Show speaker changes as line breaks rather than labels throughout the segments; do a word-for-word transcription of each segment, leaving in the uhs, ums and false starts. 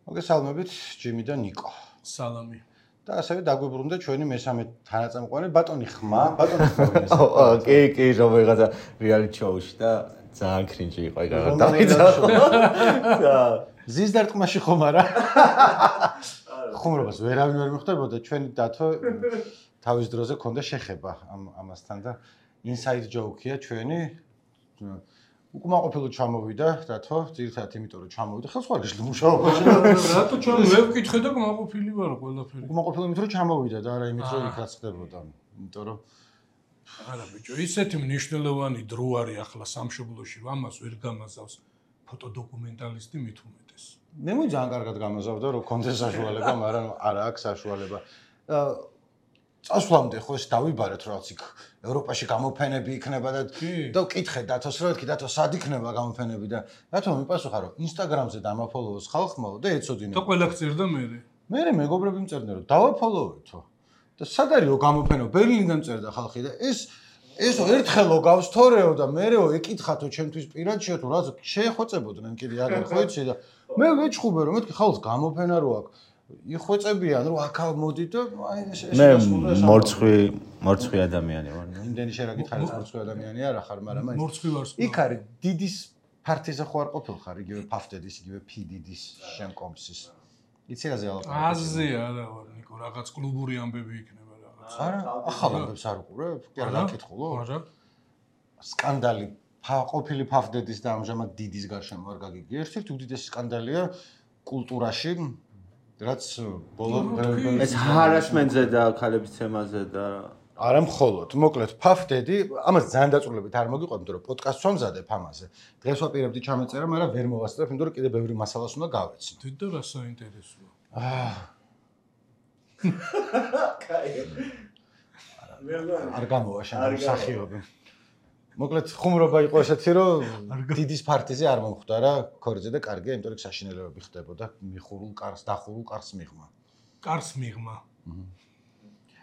მოგესალმებით ჯიმი და ნიკო.
სალამი.
და ასევე დაგვიბრუნდა ჩვენი მესამე თანაწამყვანი ბატონი ხმა, ბატონი ხმა.
კი, კი, რომელიღაცა რეალიტი შოუში და ძალიან კრინჯი იყო ეგ აღარ დავიწყო. და
ზის დარტყმაში ხომ არა? ხუმრობას ვერავინ ვერ მიხვდებოდა ჩვენი დათო თავის დროზე ქონდა შეხება ამ ამასთან და ინსაიდ ჯოუკია ჩვენი უკმაყოფილო ჩამოვიდა დათო, ძირითადად იმიტომ რომ ჩამოვიდა ხელს ხარ გიშლი მუშაობაში.
რატო ჩამ ვერ ვკითხე და უკმაყოფილი ვარ ყველაფერი.
უკმაყოფილო იმიტომ რომ ჩამოვიდა და არა იმით რომ იქ რაც ხდებოდა. იმიტომ რომ
არა ბიჭო, ისეთი მნიშვნელოვანი დრო არის ახლა სამშობლოში, რომ ამას ვერ გამაზავს ფოტოდოკუმენტალისტი მით უმეტეს.
მე მო ძალიან კარგად გამაზავდა რომ კონდეს საშუალება, მაგრამ არა აქვს საშუალება. წასვლამდე ხო ეს დავიბარეთ რაღაც იქ ევროპაში გამოფენები იქნება და და ვკითხე დათოს რომ ეთქი დათო სად იქნება გამოფენები და დათო მიპასუხა რომ ინსტაგრამზე დამაფოლოოს ხალხმაო და ეცოდინე.
და ყველა გწერდა მე.
მე მეგობრები მწერდნენ რომ დავაფოლოვეთო. და სად არისო გამოფენა ბერლინიდან წერდა ხალხი და ეს ესო ერთხელო გავს თორეო და მეреო ეკითხათო ჩემთვის პირადშიო თუ რაც შეეხვეწებოდნენ კიდე აღარ ხო იცი და მე ვეჩხუბე რომ მეთქი ხალხს გამოფენა რო აქვს იხვეწებიან რომ აქ მოდი და აი ეს ეს
მე მორცხვი მორცხვი ადამიანი ვარ.
იმდენი შენ რა გითხარი მორცხვი ადამიანი არა ხარ, მაგრამ აი
მორცხვი ვარ.
იქ არის დიდის ფარტიზე ხო არ ყოფილ ხარ, იგივე ფაფდედის, იგივე ფიდიდის შემკომსის. იცი რა ზეალაპარაკი?
აზზე არა ვარ, ნიკო, რაღაც კლუბური ამბები იქნება რაღაც.
არა, ახალ ამბებს არ უყურებ? კი არა, გაკითხულო?
არა.
სკანდალი ყოფილი ფაფდედის და ამჟამად დიდის გარშემო არ გაგიგი. ერთ-ერთი უდიდესი სკანდალია კულტურაში. რაც ბოლო
ეს ჰარასმენტზე და ქალების თემაზე და
არა მხოლოდ მოკლედ ფაფდედი ამას ძალიან დაწვრილებით არ მოგიყვება იმიტომ რომ პოდკასტს ვამზადებ ამაზე დღეს ვაპირებდი ჩამეწერა მაგრამ ვერ მოვასწრებ იმიტომ რომ კიდე ბევრი მასალას უნდა გავეცნო
თვითო რა საინტერესოა
აა კაი არ გამოვა შენ მსახიობი მოკლედ ხუმრობა იყო ესეთი რომ დიდის ფარტიზე არ მომხვდა რა ქორიძე და კარგია იმიტომ რომ საშინელებები ხდებოდა მიხურულ კარს დახურულ კარს მიღმა
კარს მიღმა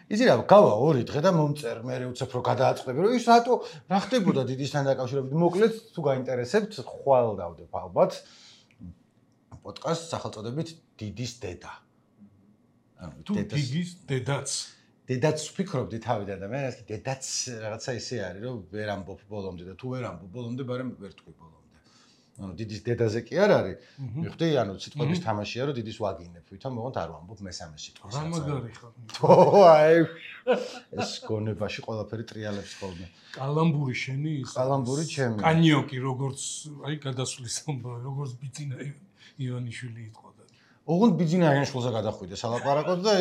იცი რა გავა ორი დღე და მომწერ მე უცებ რო გადააწყდები რომ ის რატო რა ხდებოდა დიდისთან დაკავშირებით მოკლედ თუ გაინტერესებთ ხვალ დავდებ ალბათ პოდკასტს სახელწოდებით დიდის დედა
ანუ თუ დიდის დედაც
დედაც ვფიქრობდი თავიდან და მე ასე დედაც რაღაცა ისე არის რომ ვერ ამბობ ბოლომდე და თუ ვერ ამბობ ბოლომდე მაგრამ ვერ თქვი ბოლომდე. ანუ დიდის დედაზე კი არ არის. მიხვდი ანუ სიტყვების თამაშია რომ დიდის ვაგინებ ვითომ მოღონთ არ ვამბობ მესამე სიტყვას.
რა მაგარი ხარ.
ო აი ეს გონებაში ყველაფერი ტრიალებს ხოლმე.
კალამბური შენი ის.
კალამბური ჩემი.
კანიოკი როგორც აი გადასვლის ამბავი როგორც ბიძინა ივანიშვილი იყო.
ოღონდ ბიძინა იანშულზე გადახვიდე სალაპარაკოდ და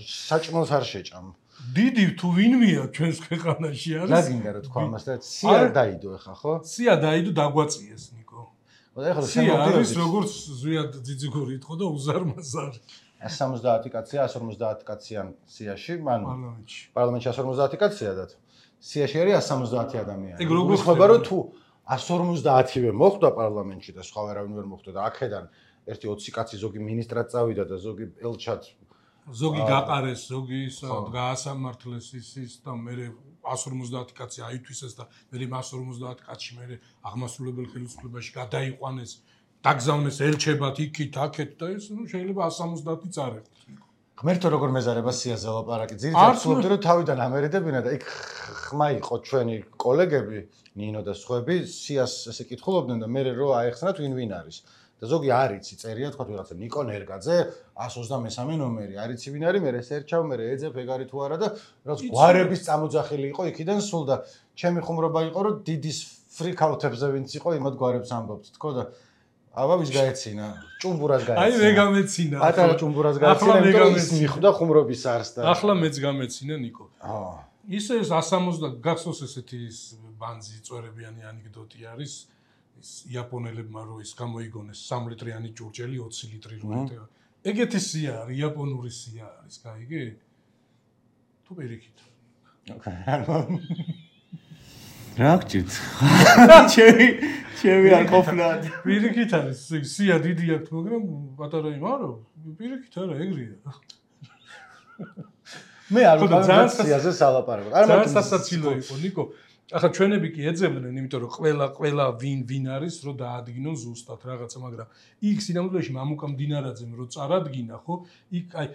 საჭმელს არ შეჭამ.
დიდი თუ ვინმეა ჩვენს ქვეყანაში არის?
რა გინდა რა თქვა ამას და სია დაიდო ახლა ხო?
სია დაიდო დაგვაწიეს ნიკო.
ხო და ახლა
სია არის როგორც ზვიად ძიძიგური იყო და უზარმაზარი.
εκατს სამოცდაათი კაცია εκατს ორმოცდაათი კაციან სიაში, ანუ
პარლამენტში.
პარლამენტში εκατს ორმოცდაათი კაცია და სიაში არის εκατს სამოცდაათი ადამიანი.
ეგ როგორ
ხდება რომ თუ εκατს ორმოცდაათივე მოხვდა პარლამენტში და სხვა ვერავინ ვერ მოხვდა და აქედან ერთი ოცი კაცი ზოგი მინისტრად წავიდა და ზოგი ელჩად
ზოგი გაყარეს, ზოგი გაასამართლეს ის და მე εκατს ორმოცდაათი კაცი აითვისეს და მე εκατს ორმოცდაათი კაცი მე აღმასრულებელ ხელისუფლებაში გადაიყვანეს, დაგზავნეს ელჩებად იქით, აქეთ და ეს ნუ შეიძლება εκατს სამოცდაათი წარეხოთ.
ღმერთო როგორ მეზარება სიაზე ლაპარაკი. ძირითადად ვცდილობდი რომ თავიდან ამერედებინა და იქ ხმა იყო ჩვენი კოლეგები, ნინო და სხვები, სიას ესე კითხულობდნენ და მე რო აეხსნათ ვინ ვინ არის. და ზოგი არ იცი წერია თქვა ვიღაცა ნიკო ნერგაძე εκას ოცდამესამე ნომერი არ იცი ვინ არის მე ესერჩავ მე ეძებ ეგ არის თუ არა და რაც გვარების წამოძახილი იყო იქიდან სულ და ჩემი ხუმრობა იყო რომ დიდის ფრიკაუთებზე ვინც იყო იმად გვარებს ამბობთ თქო და აბა ვის გაეცინა ჭუმბურას გაეცინა
აი მე გამეცინა
ატარა ჭუმბურას გაეცინა იმიტომ რომ ის მიხვდა ხუმრობის არს და
ახლა მეც გამეცინა ნიკო
აა
ისე ეს εκას სამოცდა გახსოვს ესეთი ბანძი წვერებიანი ანეკდოტი არის ის იაპონელებმა რო ის გამოიგონეს სამი ლიტრიანი ჭურჭელი ოცი ლიტრი რო ეტევა. ეგეთი სია არის, იაპონური სია არის, გაიგე? თუ პირიქით.
რა გჭირთ? ჩემი ჩემი არ ყოფნა.
პირიქით არის, სია დიდი აქვს, მაგრამ პატარა იმარო, პირიქით არა, ეგრეა.
მე არ ვიყავ სიაზე სალაპარაკო.
არ მაგ სასაცილო იყო, ნიკო. ახლა ჩვენები კი ეძებდნენ, იმიტომ რომ ყველა ყველა ვინ ვინ არის, რომ დაადგინონ ზუსტად რაღაცა, მაგრამ იქ სინამდვილეში მამუკა მდინარაძემ რო წარადგინა, ხო? იქ აი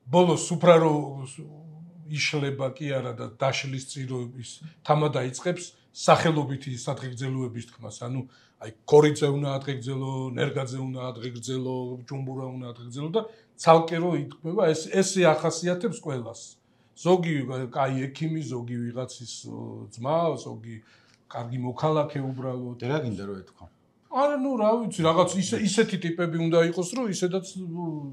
ბოლოს უფრარო იშლება კი არა და დაშლის წიროების თამა დაიწყებს სახელობითი სადღეგრძელოების თქმას, ანუ აი კორიძე უნდა ადღეგრძელო, ნერგაძე უნდა ადღეგრძელო, ჯუმბურა უნდა ადღეგრძელო და ცალკე რო ითქმება, ეს ესე ახასიათებს ყველას. ზოგი კაი ექიმი, ზოგი ვიღაცის ძმა, ზოგი კარგი მოქალაქე უბრალოდ.
და რა გინდა რომ ეთქვა?
არა, ნუ რა ვიცი, რაღაც ისე ისეთი ტიპები უნდა იყოს, რომ ისედაც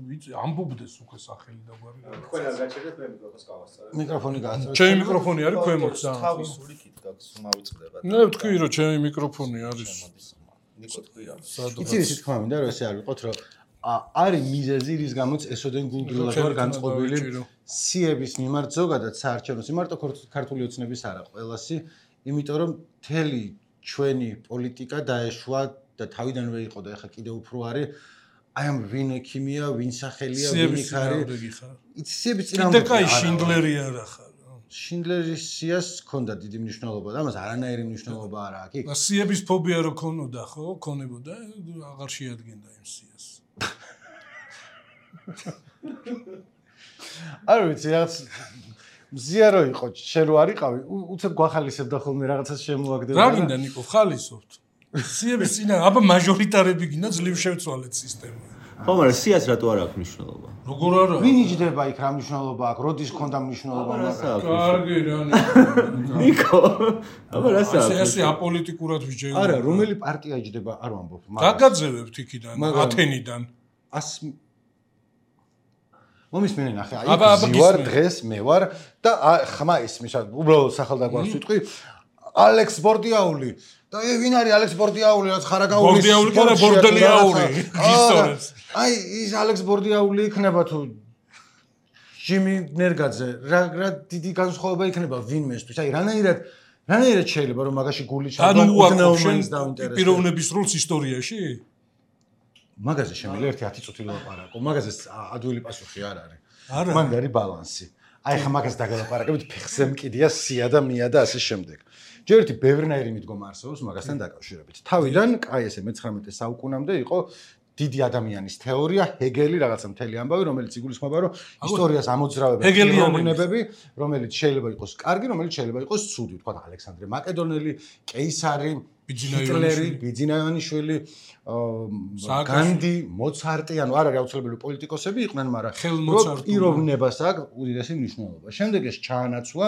ვიცი, ამბობდეს უკვე სახელი და გვარი.
თქვენ არ გაჩერდეთ მე მიკროფონს გავასწორებ.
მიკროფონი გააცრუეთ.
ჩემი მიკროფონი არის ქვემოთ და.
თავის სული კით გაქვს, მავიწყდება.
ნე ვთქვი რომ ჩემი მიკროფონი არის.
ნიკო თქვი რა.
იცი ის თქმა მინდა რომ ესე არ ვიყოთ რომ არის მიზეზი რის გამოც ესოდენ გულგრილად ვარ განწყობილი სიების მიმართ ზოგადად საარჩევნო მარტო ქართული ოცნების არა ყველასი, იმიტომ რომ მთელი ჩვენი პოლიტიკა დაეშვა და თავიდანვე იყო და ეხლა კიდევ უფრო არის აი ამ ვინ ექიმია, ვინ სახელია, ვინ იქ არის. იცი სიების წინააღმდეგ.
კიდე კაი შინდლერი არა ხარ.
შინდლერის სიას ჰქონდა დიდი მნიშვნელობა და ამას არანაირი მნიშვნელობა არა აქვს. იქ
სიების ფობია რო ქონოდა, ხო? ქონებოდა, აღარ შეადგენდა იმ სიას.
არ ვიცი რაღაც მზია რო იყო, შენ რო არიყავი, უცებ გვახალისებდა ხოლმე რაღაცას შემოაგდებოდა.
რა გინდა ნიკო, ხალისობთ? სიების წინა, აბა მაჟორიტარები გინდა ძლივ შევცვალეთ სისტემა.
ხო, მაგრამ სიას რატო არ აქვს მნიშვნელობა?
როგორ არა?
ვინ იჯდება იქ რა მნიშვნელობა აქვს? როდის ქონდა მნიშვნელობა?
კარგი რა
ნიკო. აბა რა საქმე?
ესე აპოლიტიკურად ვიჯეო.
არა, რომელი პარტია იჯდება, არ ვამბობ,
მაგრამ გაგაძევებთ იქიდან, ათენიდან.
ას მომისმენი ნახე, აი ვარ დღეს მე ვარ და ხმა ისმის, უბრალოდ სახელდაგვარს ვიტყვი ალექს ბორდიაული და ე ვინ არის ალექს ბორდიაული, რაც ხარაგაულის
ბორდიაული კი არა, ბორდელიაული ისტორიას.
აი ის ალექს ბორდიაული იქნება თუ ჟიმი ნერგაძე, რა რა დიდი განსხვავება იქნება ვინმესთვის. აი რანაირად რანაირად შეიძლება რომ მაგაში გული ჩადო უდნეომანს დაინტერესებს.
პიროვნების როლს ისტორიაში?
მაგაზე შემიძლია ერთი ათი წუთი ლაპარაკო. მაგაზე ადვილი პასუხი არ არის.
არა.
მან არის ბალანსი. აი ხა მაგას დაგელაპარაკებით, ფეხზე მკიდია სია და მია და ასე შემდეგ. ჯერ ერთი ბევრნაირი მიდგომა არსებობს მაგასთან დაკავშირებით. თავიდან, კაი ესე მეცხრამეტე საუკუნამდე იყო დიდი ადამიანის თეორია, ჰეგელი რაღაცა მთელი ამბავი, რომელიც იგულისხმება, რომ ისტორიას ამოძრავებენ პიროვნებები, რომელიც შეიძლება იყოს კარგი, რომელიც შეიძლება იყოს ცუდი, თქვა ალექსანდრე მაკედონელი, კეისარი, ჰიტლერი, ბიძინაევანიშვილი, განდი, მოცარტი, ანუ არ არის აუცილებელი პოლიტიკოსები იყვნენ, მაგრამ პიროვნებას აქვს უდიდესი მნიშვნელობა. შემდეგ ეს ჩაანაცვლა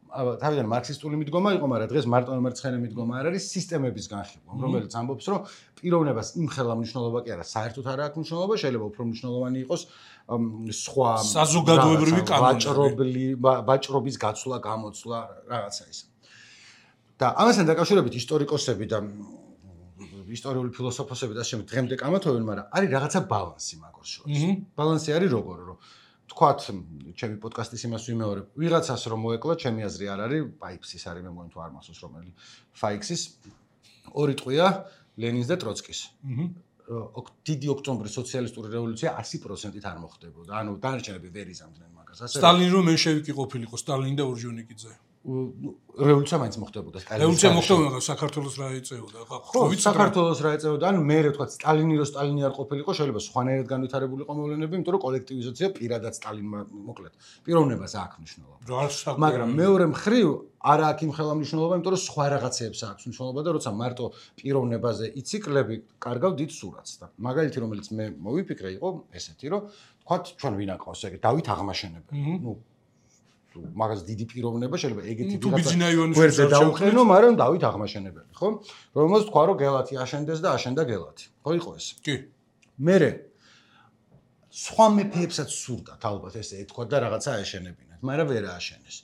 თავიდან მარქსისტული მიდგომა იყო, მაგრამ დღეს მარტო მერცხენე მიდგომა არ არის, სისტემების განხილვა, რომელიც ამბობს, რომ პიროვნებას იმხელა მნიშვნელობა კი არა, საერთოდ არ აქვს მნიშვნელობა, შეიძლება უფრო მნიშვნელოვანი იყოს სხვა
საზოგადოებრივი კანონები,
ვაჭრობლი, ვაჭრობის გაცვლა, გამოცვლა, რაღაცა ის. და ამასთან დაკავშირებით ისტორიკოსები და ისტორიული ფილოსოფოსები და შემდგ დღემდე კამათობენ, მაგრამ არის რაღაცა ბალანსი მაგას შორის. ბალანსი არის როგორ, რომ თქვათ, ჩემი პოდკასტის იმას ვიმეორებ, ვიღაცას რომ მოეკლა, ჩემი აზრი არ არის, ფაიქსის არის, მე მგონი თუ არ მახსოვს რომელი ფაიქსის ორი ტყვია ლენინს და ტროცკის. დიდი ოქტომბრის სოციალისტური რევოლუცია ასი პროცენტით არ მოხდებოდა. ანუ დანარჩენები ვერ იზამდნენ მაგას. ასე
სტალინი რომ მენშევიკი ყოფილიყო, სტალინი და ორჯონიკიძე.
რევოლუცია მაინც მოხდებოდა სტალინის.
რევოლუცია მოხდებოდა, საქართველოს რა ეწეოდა?
ხო, საქართველოს რა ეწეოდა? ანუ მე რა თქვა, სტალინი რო სტალინი არ ყოფილიყო, შეიძლება სხვანაირად განვითარებულიყო მოვლენები, იმიტომ რომ კოლექტივიზაცია პირადად სტალინმა მოკლედ. პიროვნებას აქვს მნიშვნელობა. მაგრამ მეორე მხრივ არ აქვს იმხელა მნიშვნელობა, იმიტომ რომ სხვა რაღაცეებს აქვს მნიშვნელობა და როცა მარტო პიროვნებაზე ციკლები კარგავ დიდ სურათს და მაგალითი რომელიც მე მოვიფიქრე იყო ესეთი, რომ თქვა ჩვენ ვინ აყავს ეგ დავით აღმაშენებელი. ნუ მაგას დიდი პიროვნება შეიძლება ეგეთი ვიღაცა დაუყენო, მაგრამ დავით აღმაშენებელი, ხო? რომელსაც თქვა რომ გელათი აშენდეს და აშენდა გელათი. ხო იყო ეს?
კი. მერე
სხვა მეფეებსაც სურდათ ალბათ ესე ეთქვა და რაღაცა აეშენებინათ, მაგრამ ვერ ააშენეს.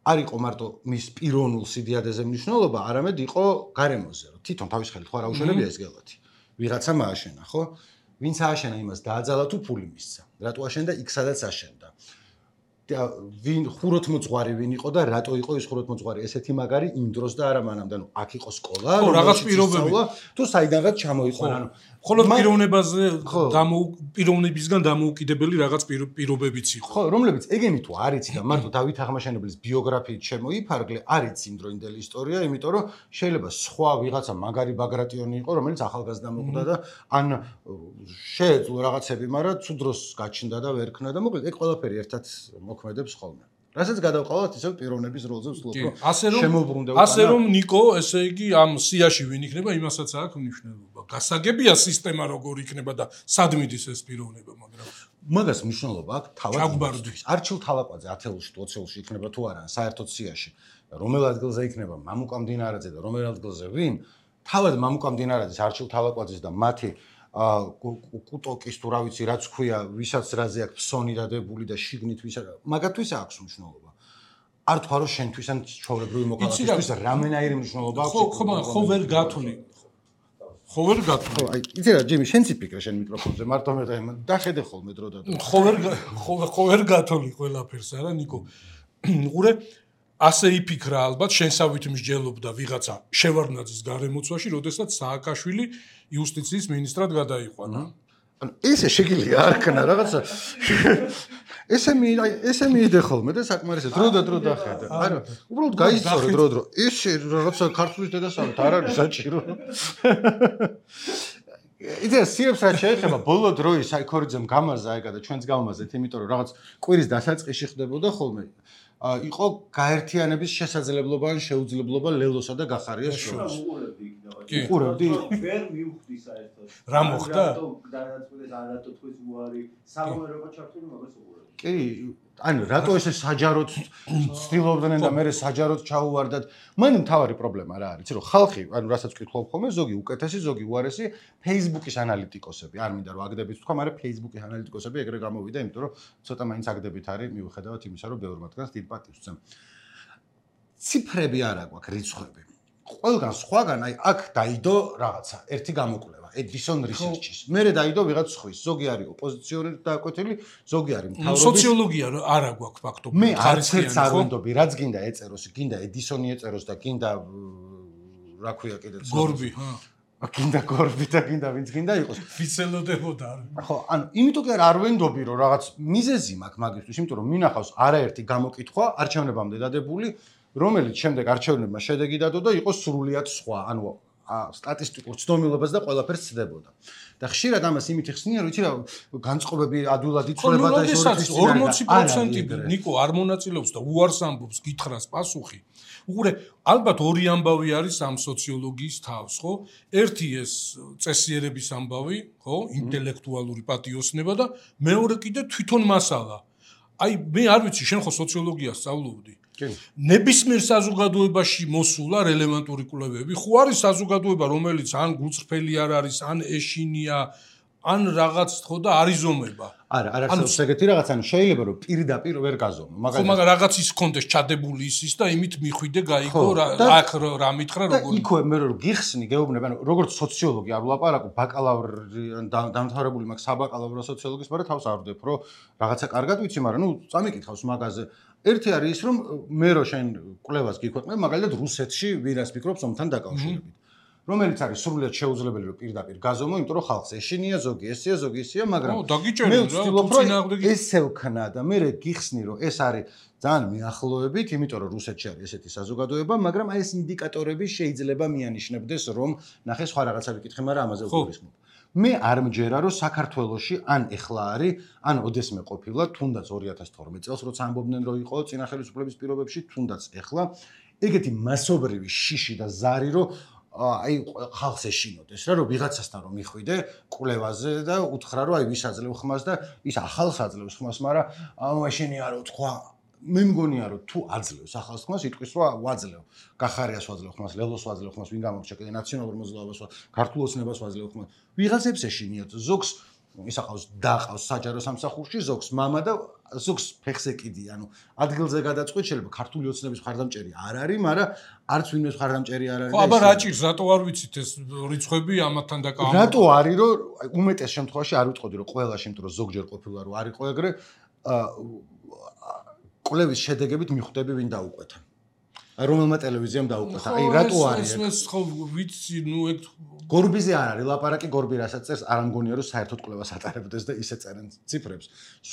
არ იყო მარტო მის პიროვნულ სიდიადეზე მნიშვნელობა, არამედ იყო გარემოზე, რომ თვითონ თავის ხელით ხო არ აუშენებია ეს გელათი. ვიღაცა მააშენა, ხო? ვინც ააშენა იმას დააძალა თუ ფული მისცა. რატო აშენდა იქ სადაც აშენდა. ვინ ხუროთმოძღვარი ვინ იყო და რატო იყო ის ხუროთმოძღვარი ესეთი მაგარი იმ დროს და არა მანამდე ანუ აქ იყო სკოლა
ხო რაღაც პირობები
თუ საიდანღაც ჩამოიყვანა ანუ
ხოლო პიროვნებაზე დამო პიროვნებისგან დამოუკიდებელი რაღაც პირობებიც იყო
ხო რომლებიც ეგენი თუ არ იცი და მარტო დავით აღმაშენებლის ბიოგრაფიით შემოიფარგლე არ იცი იმდროინდელი ისტორია იმიტომ რომ შეიძლება სხვა ვიღაცა მაგარი ბაგრატიონი იყო რომელიც ახალგაზრდა მოკვდა და ან შეეძლო რაღაცები მაგრამ თუ დროს გაჩნდა და ვერ ქნა და მოკლედ ეგ ყველაფერი ერთად მოქმედებს ხოლმე რასაც გადავყავთ ისევ პიროვნების როლზე ვსულობ რომ შემოუბრუნდა უკანა
ასე რომ ნიკო ესე იგი ამ სიაში ვინ იქნება იმასაც აქვს მნიშვნელობა გასაგებია სისტემა როგორ იქნება და სად მიდის ეს პიროვნება მაგრამ
მაგას მნიშვნელობა აქვს თავად არჩილ თალაკვაძე ათეულში თუ ოცეულში იქნება თუ არა საერთოდ სიაში რომელ ადგილზე იქნება მამუკა მდინარაძე და რომელ ადგილზე ვინ თავად მამუკა მდინარაძის არჩილ თალაკვაძის და მათი ა კუტოკის თუ რა ვიცი რაც ქვია ვისაც რაზე აქვს ფსონი დადებული და შიგნით ვისა მაგათთვის აქვს მნიშვნელობა არ თქვა რომ შენთვის ან ჩვეულებრივი მოქალაქისთვის რამენაირი მნიშვნელობა აქვს
ხო ხო ხო ვერ გათვლი ხო ვერ გათვლი
ხო აი იცი რა ჯიმი შენ ციფიქრე შენ მიკროფონზე მარტო მე დახედე ხოლმე დრო და დრო
ხო ვერ ხო ხო ვერ გათვლი ყველაფერს არა ნიკო უყურე ასე იფიქრა ალბათ შენსავით მსჯელობდა ვიღაცა შევარდნაძის გარემოცვაში როდესაც სააკაშვილი იუსტიციის მინისტრად გადაიყვანა.
ანუ ესე შეგიძლია არ ქნა რაღაცა. ესე მე ესე მიიდე ხოლმე და საკმარისად დრო და დრო დახედა. არა, უბრალოდ გაისწორო დრო დრო. ესე რაღაცა ქართლის დედასავით არ არის საჭირო. იდეა სიებს რა შეიძლება ბოლო დროის საიქორიძემ გამარზა ეგა და ჩვენც გავმაზეთ, იმიტომ რომ რაღაც კვირის დასაწყისში ხდებოდა ხოლმე. იყო გაერთიანების შესაძლებლობა ან შეუძლებლობა ლელოსა და გახარიას შორის.
კი.
უყურებდი?
ვერ მივხვდი საერთოდ.
რა მოხდა?
დანაწყვეტეს არათო თქვის უარი, სამომერობა ჩართული მაგას უყურებდი.
კი, ანუ რატო ესე საჯაროდ ცდილობდნენ და მე საჯაროდ ჩაუვარდათ? მან მთავარი პრობლემა რა არის, რომ ხალხი, ანუ რასაც ვკითხულობ ხოლმე, ზოგი უკეთესი, ზოგი უარესი Facebook-ის ანალიტიკოსები, არ მინდა რომ აგდებით თქვა, მაგრამ Facebook-ის ანალიტიკოსები ეგრე გამოვიდა, იმიტომ რომ ცოტა მაინც აგდებით არის, მიუხედავად იმისა, რომ ბევრი მათგანს დიდ პატივს ვცემ. ციფრები არა გვაქვს, რიცხვები. ყველგან სხვაგან აი აქ დაიდო რაღაცა, ერთი გამოკვლევა, Edison Research-ის. მერე დაიდო ვიღაც სხვის, ზოგი არის ოპოზიციონერი დაკვეთილი, ზოგი არის მთავრობის.
სოციოლოგია არა გვაქვს ფაქტობრივად.
მე არც ერთს არ ვენდობი, რაც გინდა ეწეროს, გინდა Edison-ი ეწეროს და გინდა რა ქვია კიდე
გორბი, ჰა.
გინდა გორბი და გინდა ვინც გინდა იყოს.
ვიცელოდებოდა.
ხო, ანუ იმიტომ კი არ ვენდობი, რომ რაღაც მიზეზი მაქვს მაგისთვის, იმიტომ რომ მინახავს არაერთი გამოკითხვა არჩევნებამდე დადებული, რომელიც შემდეგ არჩევნებმა შედეგი დადო და იყო სრულიად სხვა, ანუ სტატისტიკურ ცნობილობას და ყველაფერს ცდებოდა. და ხშირად ამას იმით ხსნიან, რომ იცი რა, განწყობები ადვილად იცვლება და ეს
ორმოცი პროცენტი ნიკო არ მონაწილეობს და უარს ამბობს, გითხრას პასუხი. უყურე, ალბათ ორი ამბავი არის ამ სოციოლოგიის თავს, ხო? ერთი ეს წესიერების ამბავი, ხო? ინტელექტუალური პატიოსნება და მეორე კიდე თვითონ მასალა. აი, მე არ ვიცი, შენ ხო სოციოლოგიას სწავლობდი? ნებისმიერ საზოგადოებაში მოსულა რელევანტური კვლევები. ხო არის საზოგადოება, რომელიც ან გულწრფელი არ არის, ან ეშინია, ან რაღაც ხო და არიზომება.
არა, არ არის ეგეთი რაღაც, ანუ შეიძლება რომ პირდაპირ ვერ გაზომო.
მაგალითად, ხო, მაგრამ რაღაც ის კონდეს ჩადებული ისის და იმით მიხვიდე გაიგო აქ რა მითხრა როგორ.
იქ მე რომ გიხსნი, გეუბნები, ანუ როგორც სოციოლოგი არ ვლაპარაკობ, ბაკალავრი დამთავრებული მაქვს საბაკალავრო სოციოლოგიის, მაგრამ თავს არ ვდებ, რომ რაღაცა კარგად ვიცი, მაგრამ ნუ წამიკითხავს მაგაზე. ერთი არის ის, რომ მე რო შენ კვლევას გიქვეყნებ, მაგალითად რუსეთში ვირას ფიქრობს ომთან დაკავშირებით. რომელიც არის სრულიად შეუძლებელი რომ პირდაპირ გაზომო, იმიტომ რომ ხალხს ეშინია, ზოგი ესია, ზოგი ისია, მაგრამ მე ვცდილობ რომ ესე ვქნა და მე გიხსნი რომ ეს არის ძალიან მიახლოებით, იმიტომ რომ რუსეთში არის ესეთი საზოგადოება, მაგრამ აი ეს ინდიკატორები შეიძლება მიანიშნებდეს რომ ნახე სხვა რაღაცა ვიკითხე, მაგრამ ამაზე ვგულისხმობ. მე არ მჯერა რომ საქართველოში ან ეხლა არის, ან ოდესმე ყოფილა, თუნდაც ორი ათას თორმეტ წელს როცა ამბობდნენ რომ იყო წინა ხელისუფლების პირობებში, თუნდაც ეხლა ეგეთი მასობრივი შიში და ზარი რომ აი ხალხს ეშინოდეს რა რომ ვიღაცასთან რომ მიხვიდე კვლევაზე და უთხრა რომ აი ვის აძლევ ხმას და ის ახალს აძლევს ხმას, მაგრამ ანუ ეშინია რომ თქვა მე მგონია რომ თუ აძლევს ახალს ხმას, იტყვის რომ ვაძლევ, გახარიას ვაძლევ ხმას, ლელოს ვაძლევ ხმას, ვინ გამორჩა კიდე ნაციონალურ მოძრაობას, ქართულ ოცნებას ვაძლევ ხმას. ვიღაცებს ეშინიათ, ზოგს ისა ყავს დაყავს საჯარო სამსახურში, ზოგს მამა და ზოგს ფეხზე კიდი, ანუ ადგილზე გადაწყვეტ შეიძლება ქართული ოცნების მხარდამჭერი არ არის, მაგრამ არც ვინმეს მხარდამჭერი არ არის.
ხო, აბა რა ჭირს, რატო არ ვიცით ეს რიცხვები ამათთან დაკავებული?
რატო არის, რომ უმეტეს შემთხვევაში არ ვიტყოდი, რომ ყველა შემთხვევაში ზოგჯერ ყოფილა რომ არ იყო ეგრე, კვლევის შედეგებით მიხვდები ვინ დაუკვეთა. აი რომელმა ტელევიზიამ დაუკვეთა. აი რატო არის?
ეს ეს ხო ვიცი, ნუ ეგ
გორბიზე არ არის ლაპარაკი, გორბი რასაც წერს, არ ამგონია რომ საერთოდ კვლევას ატარებდეს და ისე წერენ ციფრებს.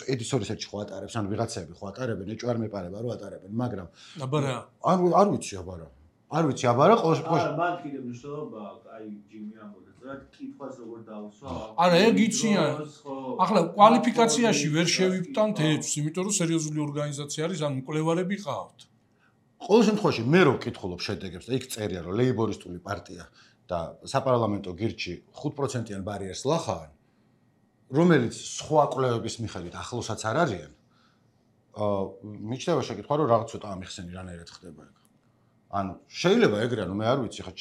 ედისონ რისერჩი ხო ატარებს, ანუ ვიღაცები ხო ატარებენ, ეჭვ არ მეპარება რომ ატარებენ, მაგრამ
აბარა.
არ არ ვიცი აბარა. არ ვიცი აბარა, ყოველ
აა მან კიდევ მნიშვნელობა, აი ჯიმი ამბობს, რა კითხვას როგორ დაუსვა.
არა, ეგ იციან. ახლა კვალიფიკაციაში ვერ შევიფტანთ ეჭვს, იმიტომ რომ სერიოზული ორგანიზაცია არის, ანუ მკვლევარები ყავთ.
ყოველ შემთხვევაში მე რო ვკითხულობ შედეგებს და იქ წერია რომ ლეიბორისტული პარტია და საპარლამენტო გირჩი ხუთ პროცენტიან ბარიერს ლახავენ, რომელიც სხვა კვლევების მიხედვით ახლოსაც არ არიან. აა მიჩნევა შეკითხვა რომ რაღაც ცოტა ამიხსენი რანაირად ხდება ეგ. ანუ შეიძლება ეგრე, ანუ მე არ ვიცი ხა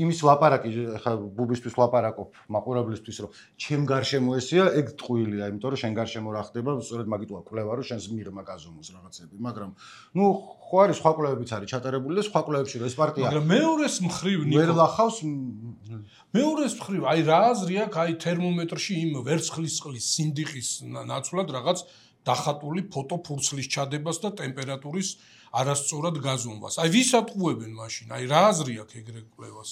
იმის ლაპარაკი ხა ბუბისთვის ლაპარაკობ მაყურებლისთვის რომ ჩემ გარშემო ესია, ეგ ტყუილია, იმიტომ რომ შენ გარშემო რა ხდება, სწორედ მაგიტოა კვლევა რომ შენს მიღმა გაზომოს რაღაცები, მაგრამ ნუ ხო არის სხვა კვლევებიც არის ჩატარებული და სხვა კვლევებში რომ ეს პარტია
მაგრამ მეორეს მხრივ ნიკო
ვერ ლახავს
მეორეს მხრივ აი რა აზრი აქვს აი თერმომეტრში იმ ვერცხლის წყლის სინდიყის ნაცვლად რაღაც დახატული ფოტო ფურცლის ჩადებას და ტემპერატურის არასწორად გაზომვას. აი ვის ატყუებენ მაშინ? აი რა აზრი აქვს ეგრე კვლევას?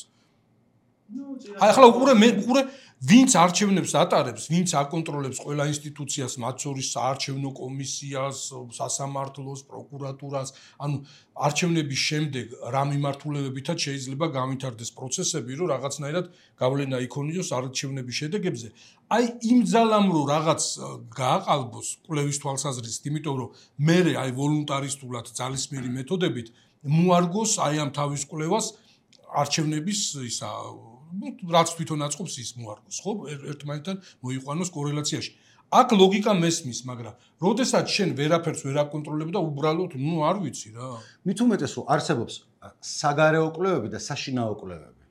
აი ახლა უყურე მე უყურე ვინც არჩევნებს ატარებს, ვინც აკონტროლებს ყველა ინსტიტუციას, მათ შორის საარჩევნო კომისიას, სასამართლოს, პროკურატურას, ანუ არჩევნების შემდეგ რა მიმართულებებითაც შეიძლება გავითარდეს პროცესები, რომ რაღაცნაირად გავლენა იქონიოს არჩევნების შედეგებზე. აი იმ ძალამ რომ რაღაც გააყალბოს კვლევის თვალსაზრისით, იმიტომ რომ მე აი ვოლუნტარისტულად ძალისმიერი მეთოდებით მოარგოს აი ამ თავის კვლევას არჩევნების ისა რაც თვითონ აწყობს ის მოარგოს, ხო? ერთმანეთთან მოიყვანოს კორელაციაში. აქ ლოგიკა მესმის, მაგრამ როდესაც შენ ვერაფერს ვერ აკონტროლებ და უბრალოდ, ნუ არ ვიცი რა.
მით უმეტეს რომ არსებობს საგარეო კვლევები და საშინაო კვლევები.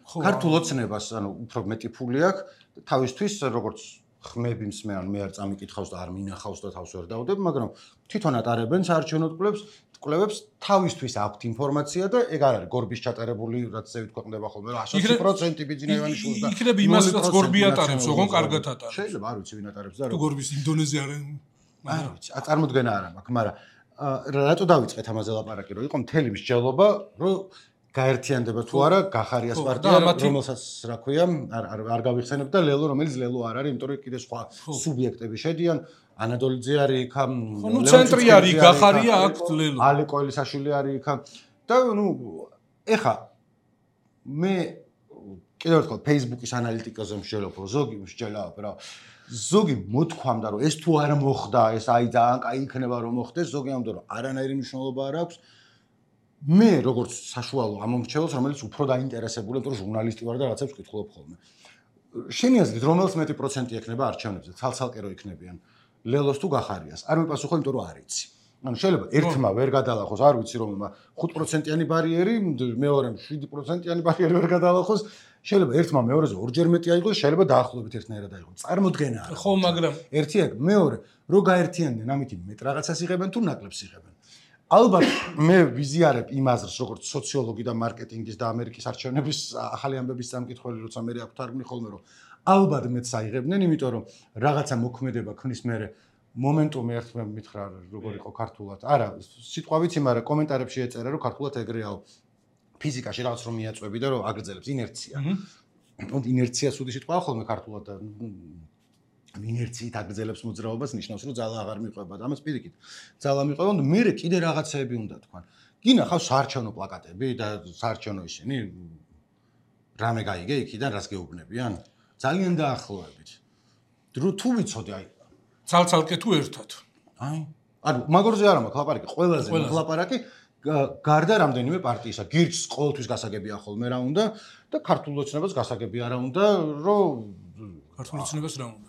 ქართულ ოცნებას, ანუ უფრო მეტი ფული აქვს, თავისთვის როგორც ხმები მსმენ, მე არ წამიკითხავს და არ მინახავს და თავს ვერ დავდებ, მაგრამ თვითონ ატარებენ საარჩევნო კვლევებს, კვლევებს თავისთვის აქვთ ინფორმაცია და ეგ არ არის გორბის ჩატარებული, რაც ზევით ქვეყნდება ხოლმე, რა ათი პროცენტი ბიძინევანიშვილს და
იქნება იმასაც გორბი ატარებს, ოღონ კარგად ატარებს.
შეიძლება არ ვიცი ვინ ატარებს და
თუ გორბის ინდონეზია არ
არ ვიცი, წარმოდგენა არ მაქვს, მაგრამ რატო დავიწყეთ ამაზე ლაპარაკი, რომ იყო მთელი მსჯელობა, რომ გაერთიანდება თუ არა გახარიას პარტია, რომელსაც რა ქვია, არ არ გავიხსენებ და ლელო, რომელიც ლელო არ არის, იმიტომ რომ კიდე სხვა სუბიექტები შედიან, ანადოლიძე არის იქ,
ნუ ცენტრი არის, გახარია აქ ლელო.
ალი კოელისაშვილი არის იქ და ნუ ეხა მე კიდევ ერთხელ Facebook-ის ანალიტიკაზე მსჯელობ, რომ ზოგი მსჯელავ, რა ზოგი მოთქვამდა, რომ ეს თუ არ მოხდა, ეს აი ძალიან კაი იქნება რომ მოხდეს, ზოგი ამბობდა, რომ არანაირი მნიშვნელობა არ აქვს. მე როგორც საშუალო ამომრჩეველს, რომელიც უფრო დაინტერესებული, იმიტომ რომ ჟურნალისტი ვარ და რაღაცებს ვკითხულობ ხოლმე. შენი აზრით, რომელს მეტი პროცენტი ექნება არჩევნებზე, ცალ-ცალკე რო იქნებიან, ლელოს თუ გახარიას? არ მიპასუხო, იმიტომ რომ არ იცი. ანუ შეიძლება ერთმა ვერ გადალახოს, არ ვიცი რომელმა ხუთ პროცენტიანი ბარიერი, მეორემ შვიდი პროცენტიანი ბარიერი ვერ გადალახოს, შეიძლება ერთმა მეორეზე ორჯერ მეტი აიღოს, შეიძლება დაახლოებით ერთნაირად აიღოს. წარმოდგენა არა.
ხო, მაგრამ
ერთი აქ, მეორე, რო გაერთიანდნენ, ამით მეტ რაღაცას იღებენ თუ ნაკლებს იღებენ. ალბათ მე ვიზიარებ იმ აზრს, როგორც სოციოლოგი და მარკეტინგის და ამერიკის არჩევნების ახალი ამბების სამკითხველი, როცა მე აქ თარგმნი ხოლმე, რომ ალბათ მეც აიღებდნენ, იმიტომ რომ რაღაცა მოქმედება ქმნის მე მომენტუმი ერთმე მითხრა როგორ იყო ქართულად. არა, სიტყვა ვიცი, მაგრამ კომენტარებში ეწერა, რომ ქართულად ეგრეაო. ფიზიკაში რაღაც რომ მიაწვევი და რომ აგრძელებს ინერცია. ანუ ინერცია სუდი სიტყვაა ხოლმე ქართულად და ინერციით აგრძელებს მოძრაობას, ნიშნავს, რომ ძალა აღარ მიყვება და ამას პირიქით. ძალა მიყვება, და მე კიდე რაღაცეები უნდა თქვან. გინახავს საარჩევნო პლაკატები და საარჩევნო ისინი რამე გაიგე იქიდან რას გეუბნებიან? ძალიან დაახლოებით. თუ ვიცოდი აი
ცალ-ცალკე თუ ერთად.
აი, ანუ მაგორზე არ მაქვს ლაპარაკი, ყველაზე ლაპარაკი გარდა რამდენიმე პარტიისა. გირჩს ყოველთვის გასაგებია ხოლმე რა უნდა და ქართულ ოცნებას გასაგებია რა უნდა, რომ
ქართულ ოცნებას რა უნდა?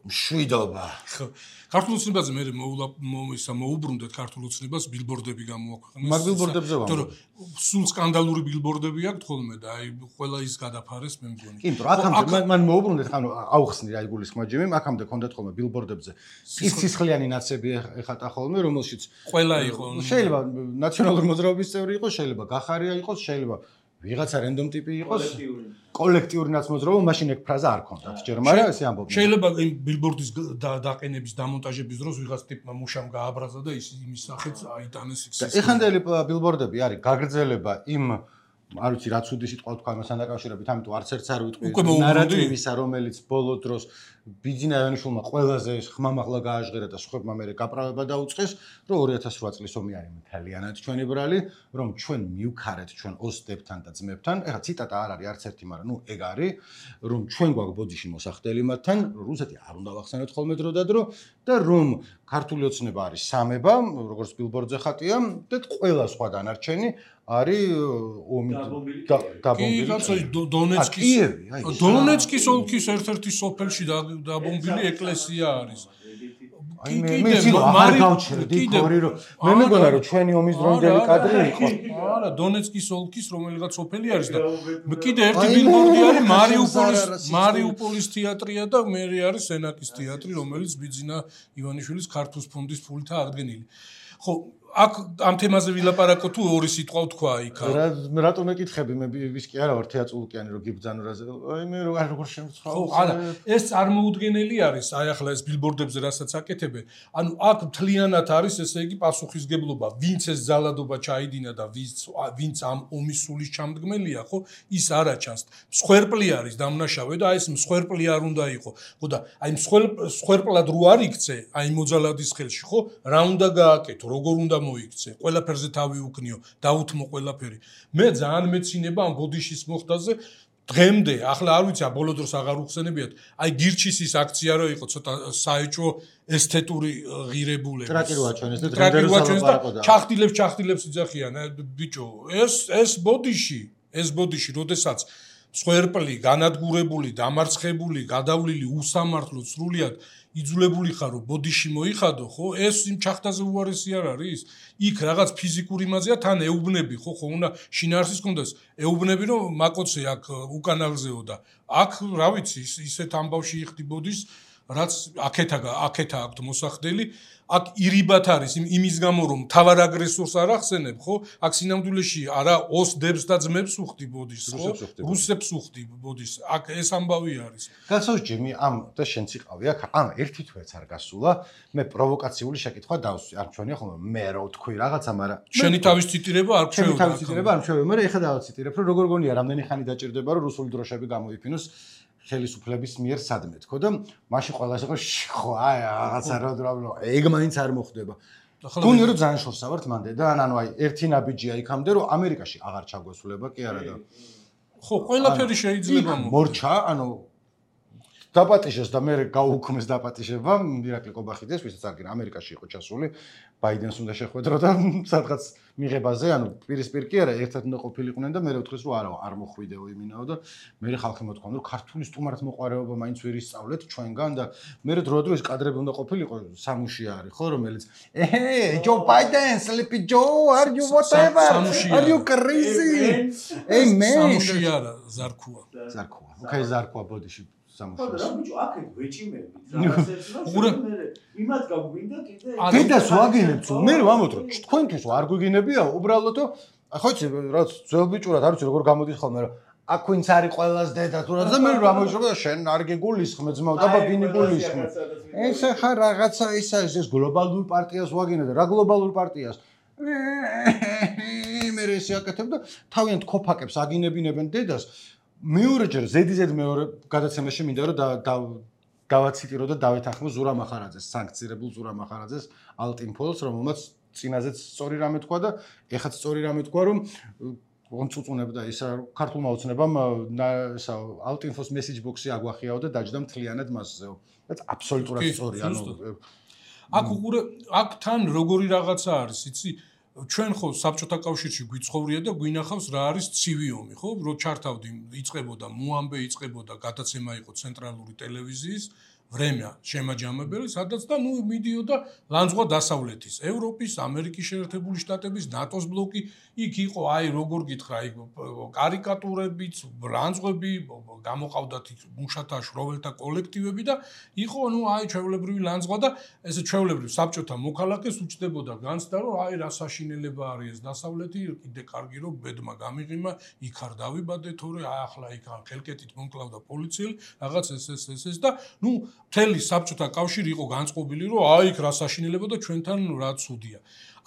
მშვიდობა.
ხო. ქართულ ოცნებაზე მე ისა მოუბრუნდეთ ქართულ ოცნებას ბილბორდები გამოაქვეყნეს.
მაგ ბილბორდებზე ვამბობ.
თორე სულ სკანდალური ბილბორდები აქვს ხოლმე და აი ყველა ის გადაფარეს მე მგონი.
კი, იმიტომ აქამდე მან მოუბრუნდეთ, ანუ აუხსნი რა იგულისხმება ჯიმი, აქამდე ქონდათ ხოლმე ბილბორდებზე. სისხლიანი ნაცები ეხატა ხოლმე, რომელშიც
ყველა იყო.
შეიძლება ნაციონალური მოძრაობის წევრი იყოს, შეიძლება გახარია იყოს, შეიძლება ვიღაცა რენდომ ტიპი იყოს კოლექტიური ნაცმოძრაობა მაშინ ეგ ფრაზა არ ქონდათ ჯერ მაგრამ ესე ამბობდნენ
შეიძლება იმ ბილბორდის დაყენების დამონტაჟების დროს ვიღაც ტიპმა მუშამ გააბრაზა და ის იმის სახით აიტანეს იქ
ეხანდელი ბილბორდები არის გაგრძელება იმ არ ვიცი რაც უდი სიტყვა თქვა იმასთან დაკავშირებით ამიტომ არც ერთს არ ვიტყვი ნარატივისა რომელიც ბოლო დროს ბიძინა ივანიშვილმა ყველაზე ხმამაღლა გააჟღერა და სხვებმა მერე გაправება დაუწყეს რომ ორი ათას რვა წლის ომი არის მთლიანად ჩვენი ბრალი რომ ჩვენ მივქარეთ ჩვენ ოსტებთან და ძმებთან ეხლა ციტატა არ არის არც ერთი მაგრამ ნუ ეგ არის რომ ჩვენ გვაქვს ბოდიში მოსახდელი მათთან რუსეთი არ უნდა ვახსენოთ ხოლმე დრო და დრო და რომ ქართული ოცნება არის სამება როგორც ბილბორდზე ხატია და ყველა სხვა დანარჩენი არის ომი
დაბომბილი. დონეცკის დონეცკის ოლქის ერთ-ერთი სოფელში დაბომბილი ეკლესია არის.
აი მე მე ძილო არ გავჩერდი თორე რომ მე მეგონა რომ ჩვენი ომის დროინდელი კადრი იყო.
არა, დონეცკის ოლქის რომელიღაც სოფელი არის და კიდე ერთი ბილბორდი არის მარიუპოლის მარიუპოლის თეატრია და მე არის სენაკის თეატრი, რომელიც ბიძინა ივანიშვილის ქართულ ფონდის ფულით აღდგენილი. ხო აქ ამ თემაზე ვილაპარაკო თუ ორი სიტყვა თქვა იქ.
რა რატომ ეკითხები მე ვის კი არა ვარ თეატრულკიანი რომ გიბძანო რაზე. აი მე როგორ შემცხავ.
ხო, არა, ეს წარმოუდგენელი არის, აი ახლა ეს ბილბორდებზე რასაც აკეთებენ. ანუ აქ მთლიანად არის ესე იგი პასუხისგებლობა, ვინც ეს ზალადობა ჩაიდინა და ვინც ვინც ამ ომის სულის ჩამდგმელია, ხო? ის არ აჩანს. მსხვერპლი არის დამნაშავე და აი ეს მსხვერპლი არ უნდა იყო. ხო და აი მსხვერპლად რო არ იქცე, აი მოძალადის ხელში, ხო? რა უნდა გააკეთო, როგორ უნდა მოიქცე, ყველაფერზე თავი უკნიო, დაუთმო ყველაფერი. მე ძალიან მეცინება ამ ბოდიშის მოხდაზე დღემდე, ახლა არ ვიცი, ბოლო დროს აღარ უხსენებიათ, აი გირჩის ის აქცია რო იყო ცოტა საეჭვო ესთეტური ღირებულება.
ტრაკი რო აჩვენეს და დღემდე რო
სალაპარაკოდა. ჩახტილებს, ჩახტილებს იძახიან, ბიჭო, ეს ეს ბოდიში, ეს ბოდიში, როდესაც მსხვერპლი, განადგურებული, დამარცხებული, გადავლილი, უსამართლო, სრულიად იძულებული ხარ რომ ბოდიში მოიხადო, ხო? ეს იმ ჩახტაზე უარესი არ არის? იქ რაღაც ფიზიკური მაზია თან ეუბნები, ხო, ხო უნდა შინაარსის კონდეს. ეუბნები რომ მაკოცე აქ უკანალზეო და აქ რა ვიცი, ისეთ ამბავში იხდი ბოდის, რაც აქეთა აქეთა აქვთ მოსახდელი, აქ ირიბათ არის იმის გამო რომ თავარ აგრესორს არ ახსენებ, ხო? აქ სინამდვილეში არა ოსდებს და ძმებს უხდი ბოდის, ხო? რუსებს უხდი ბოდის. აქ ეს ამბავი არის.
გასაუს ჯიმი ამ და შენც იყავი აქ, ამ ერთი თვეც არ გასულა. მე პროვოკაციული შეკითხვა დავსვი. არ ჩვენია ხოლმე მე რა ვთქვი რაღაცა, მაგრამ
შენი თავის ციტირება არ
ჩვეულა. შენი თავის ციტირება არ ჩვეულა, მაგრამ ეხლა დავაციტირებ, რომ როგორ გონია რამდენი ხანი დაჭირდება რომ რუსული დროშები გამოიფინოს ხელისუფლების მიერ სადმე თქო და მაშინ ყველას იყო ხო აი რაღაცა რა ეგ მაინც არ მოხდება. გონია რომ ძალიან შორსა ვართ მანდე და ანუ აი ერთი ნაბიჯია იქამდე რომ ამერიკაში აღარ ჩაგვესულება კი არა და
ხო ყველაფერი შეიძლება
მორჩა ანუ დაპატიშეს და მე გაუქმეს დაპატიშება ირაკლი ყობახიძეს ვისაც არ გინდა ამერიკაში იყო ჩასული ბაიდენს უნდა შეხვედრო და სადღაც მიღებაზე ანუ პირისპირ კი არა ერთად უნდა ყოფილიყვნენ და მე ვთქვის რომ არა არ მოხვიდეო იმინაო და მე ხალხი მოთქვამდა რომ ქართული სტუმართ მოყარეობა მაინც ვერ ისწავლეთ ჩვენგან და მე დრო-დრო ეს კადრები უნდა ყოფილიყო სამუში არის ხო რომელიც ეჰე ჯო ბაიდენ sleepy joe are you whatever are you crazy hey man
სამუში არა ზარქუა
ზარქუა okay ზარქუა ბოდიში
ხო რა ბიჭო აქეთ ვეჭიმებით რაღაცებს რა მე იმათ გაგვინდა კიდე
კიდეს ვაგინებთ მე ვამოთ რომ თქვენთვის არ გვიგინებია უბრალოდ ხო იცი რაც ძველ ბიჭურად არ ვიცი როგორ გამოდის ხოლმე რომ აქ ვინც არის ყველას დედა თუ რა და მე რა მოიშვება შენ არ გეგულისხმე ძმაო და ბაბინი გულისხმე ეს ხა რაღაცა ის არის ეს გლობალურ პარტიას ვაგინებ და რა გლობალურ პარტიას მე ეს აკეთებ და თავიანთ ქოფაკებს აგინებინებენ დედას მეორეჯერ ზედიზედ მეორე გადაცემაში მინდა რომ დავაციტირო და დავეთანხმო ზურა მახარაძეს, სანქცირებულ ზურა მახარაძეს ალტინფოლს, რომელმაც წინაზეც სწორი რამე თქვა და ეხაც სწორი რამე თქვა, რომ ონწუწუნებდა ისა ქართულმა ოცნებამ ისა ალტინფოს მესეჯ ბოქსი აგვახიაო და დაჯდა მთლიანად მასზეო. რაც აბსოლუტურად სწორი, ანუ
აქ უყურე აქ თან როგორი რაღაცა არის, იცი? ჩვენ ხო საბჭოთა კავშირში გვიცხოვრია და გვინახავს რა არის ცივი ომი, ხო? რო ჩართავდი, იწყებოდა მოამბე, იწყებოდა გადაცემა იყო ცენტრალური ტელევიზიის, ვრემია შემაჯამებელი, სადაც და ნუ მიდიოდა ლანძღვა დასავლეთის, ევროპის, ამერიკის შეერთებული შტატების, ნატოს ბლოკი, იქ იყო აი როგორ გითხრა, იქ კარიკატურებიც, ლანძღვები, გამოყავდათ მუშათა შროველთა კოლექტივები და იყო ნუ აი ჩვეულებრივი ლანძღვა და ესე ჩვეულებრივ საბჭოთა მოქალაქეს უჩნდებოდა განცდა, რომ აი რა საშინელება არის ეს დასავლეთი, კიდე კარგი რომ ბედმა გამიღიმა, იქ არ დავიბადე თორე აი ახლა იქ ხელკეთით მომკლავდა პოლიციელი, რაღაც ეს ეს ეს ეს და ნუ მთელი საბჭოთა კავშირი იყო განწყობილი, რომ აი იქ რა საშინელება და ჩვენთან რა ცუდია.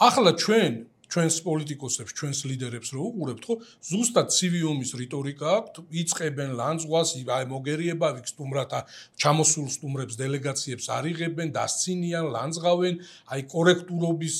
ახლა ჩვენ ჩვენს პოლიტიკოსებს, ჩვენს ლიდერებს რო უყურებთ, ხო, ზუსტად ცივი ომის რიტორიკა აქვთ, იწყებენ ლანძღვას, აი მოგერიება, ვიქ სტუმრათა ჩამოსულ სტუმრებს დელეგაციებს არიღებენ, დასცინიან, ლანძღავენ, აი კორექტულობის,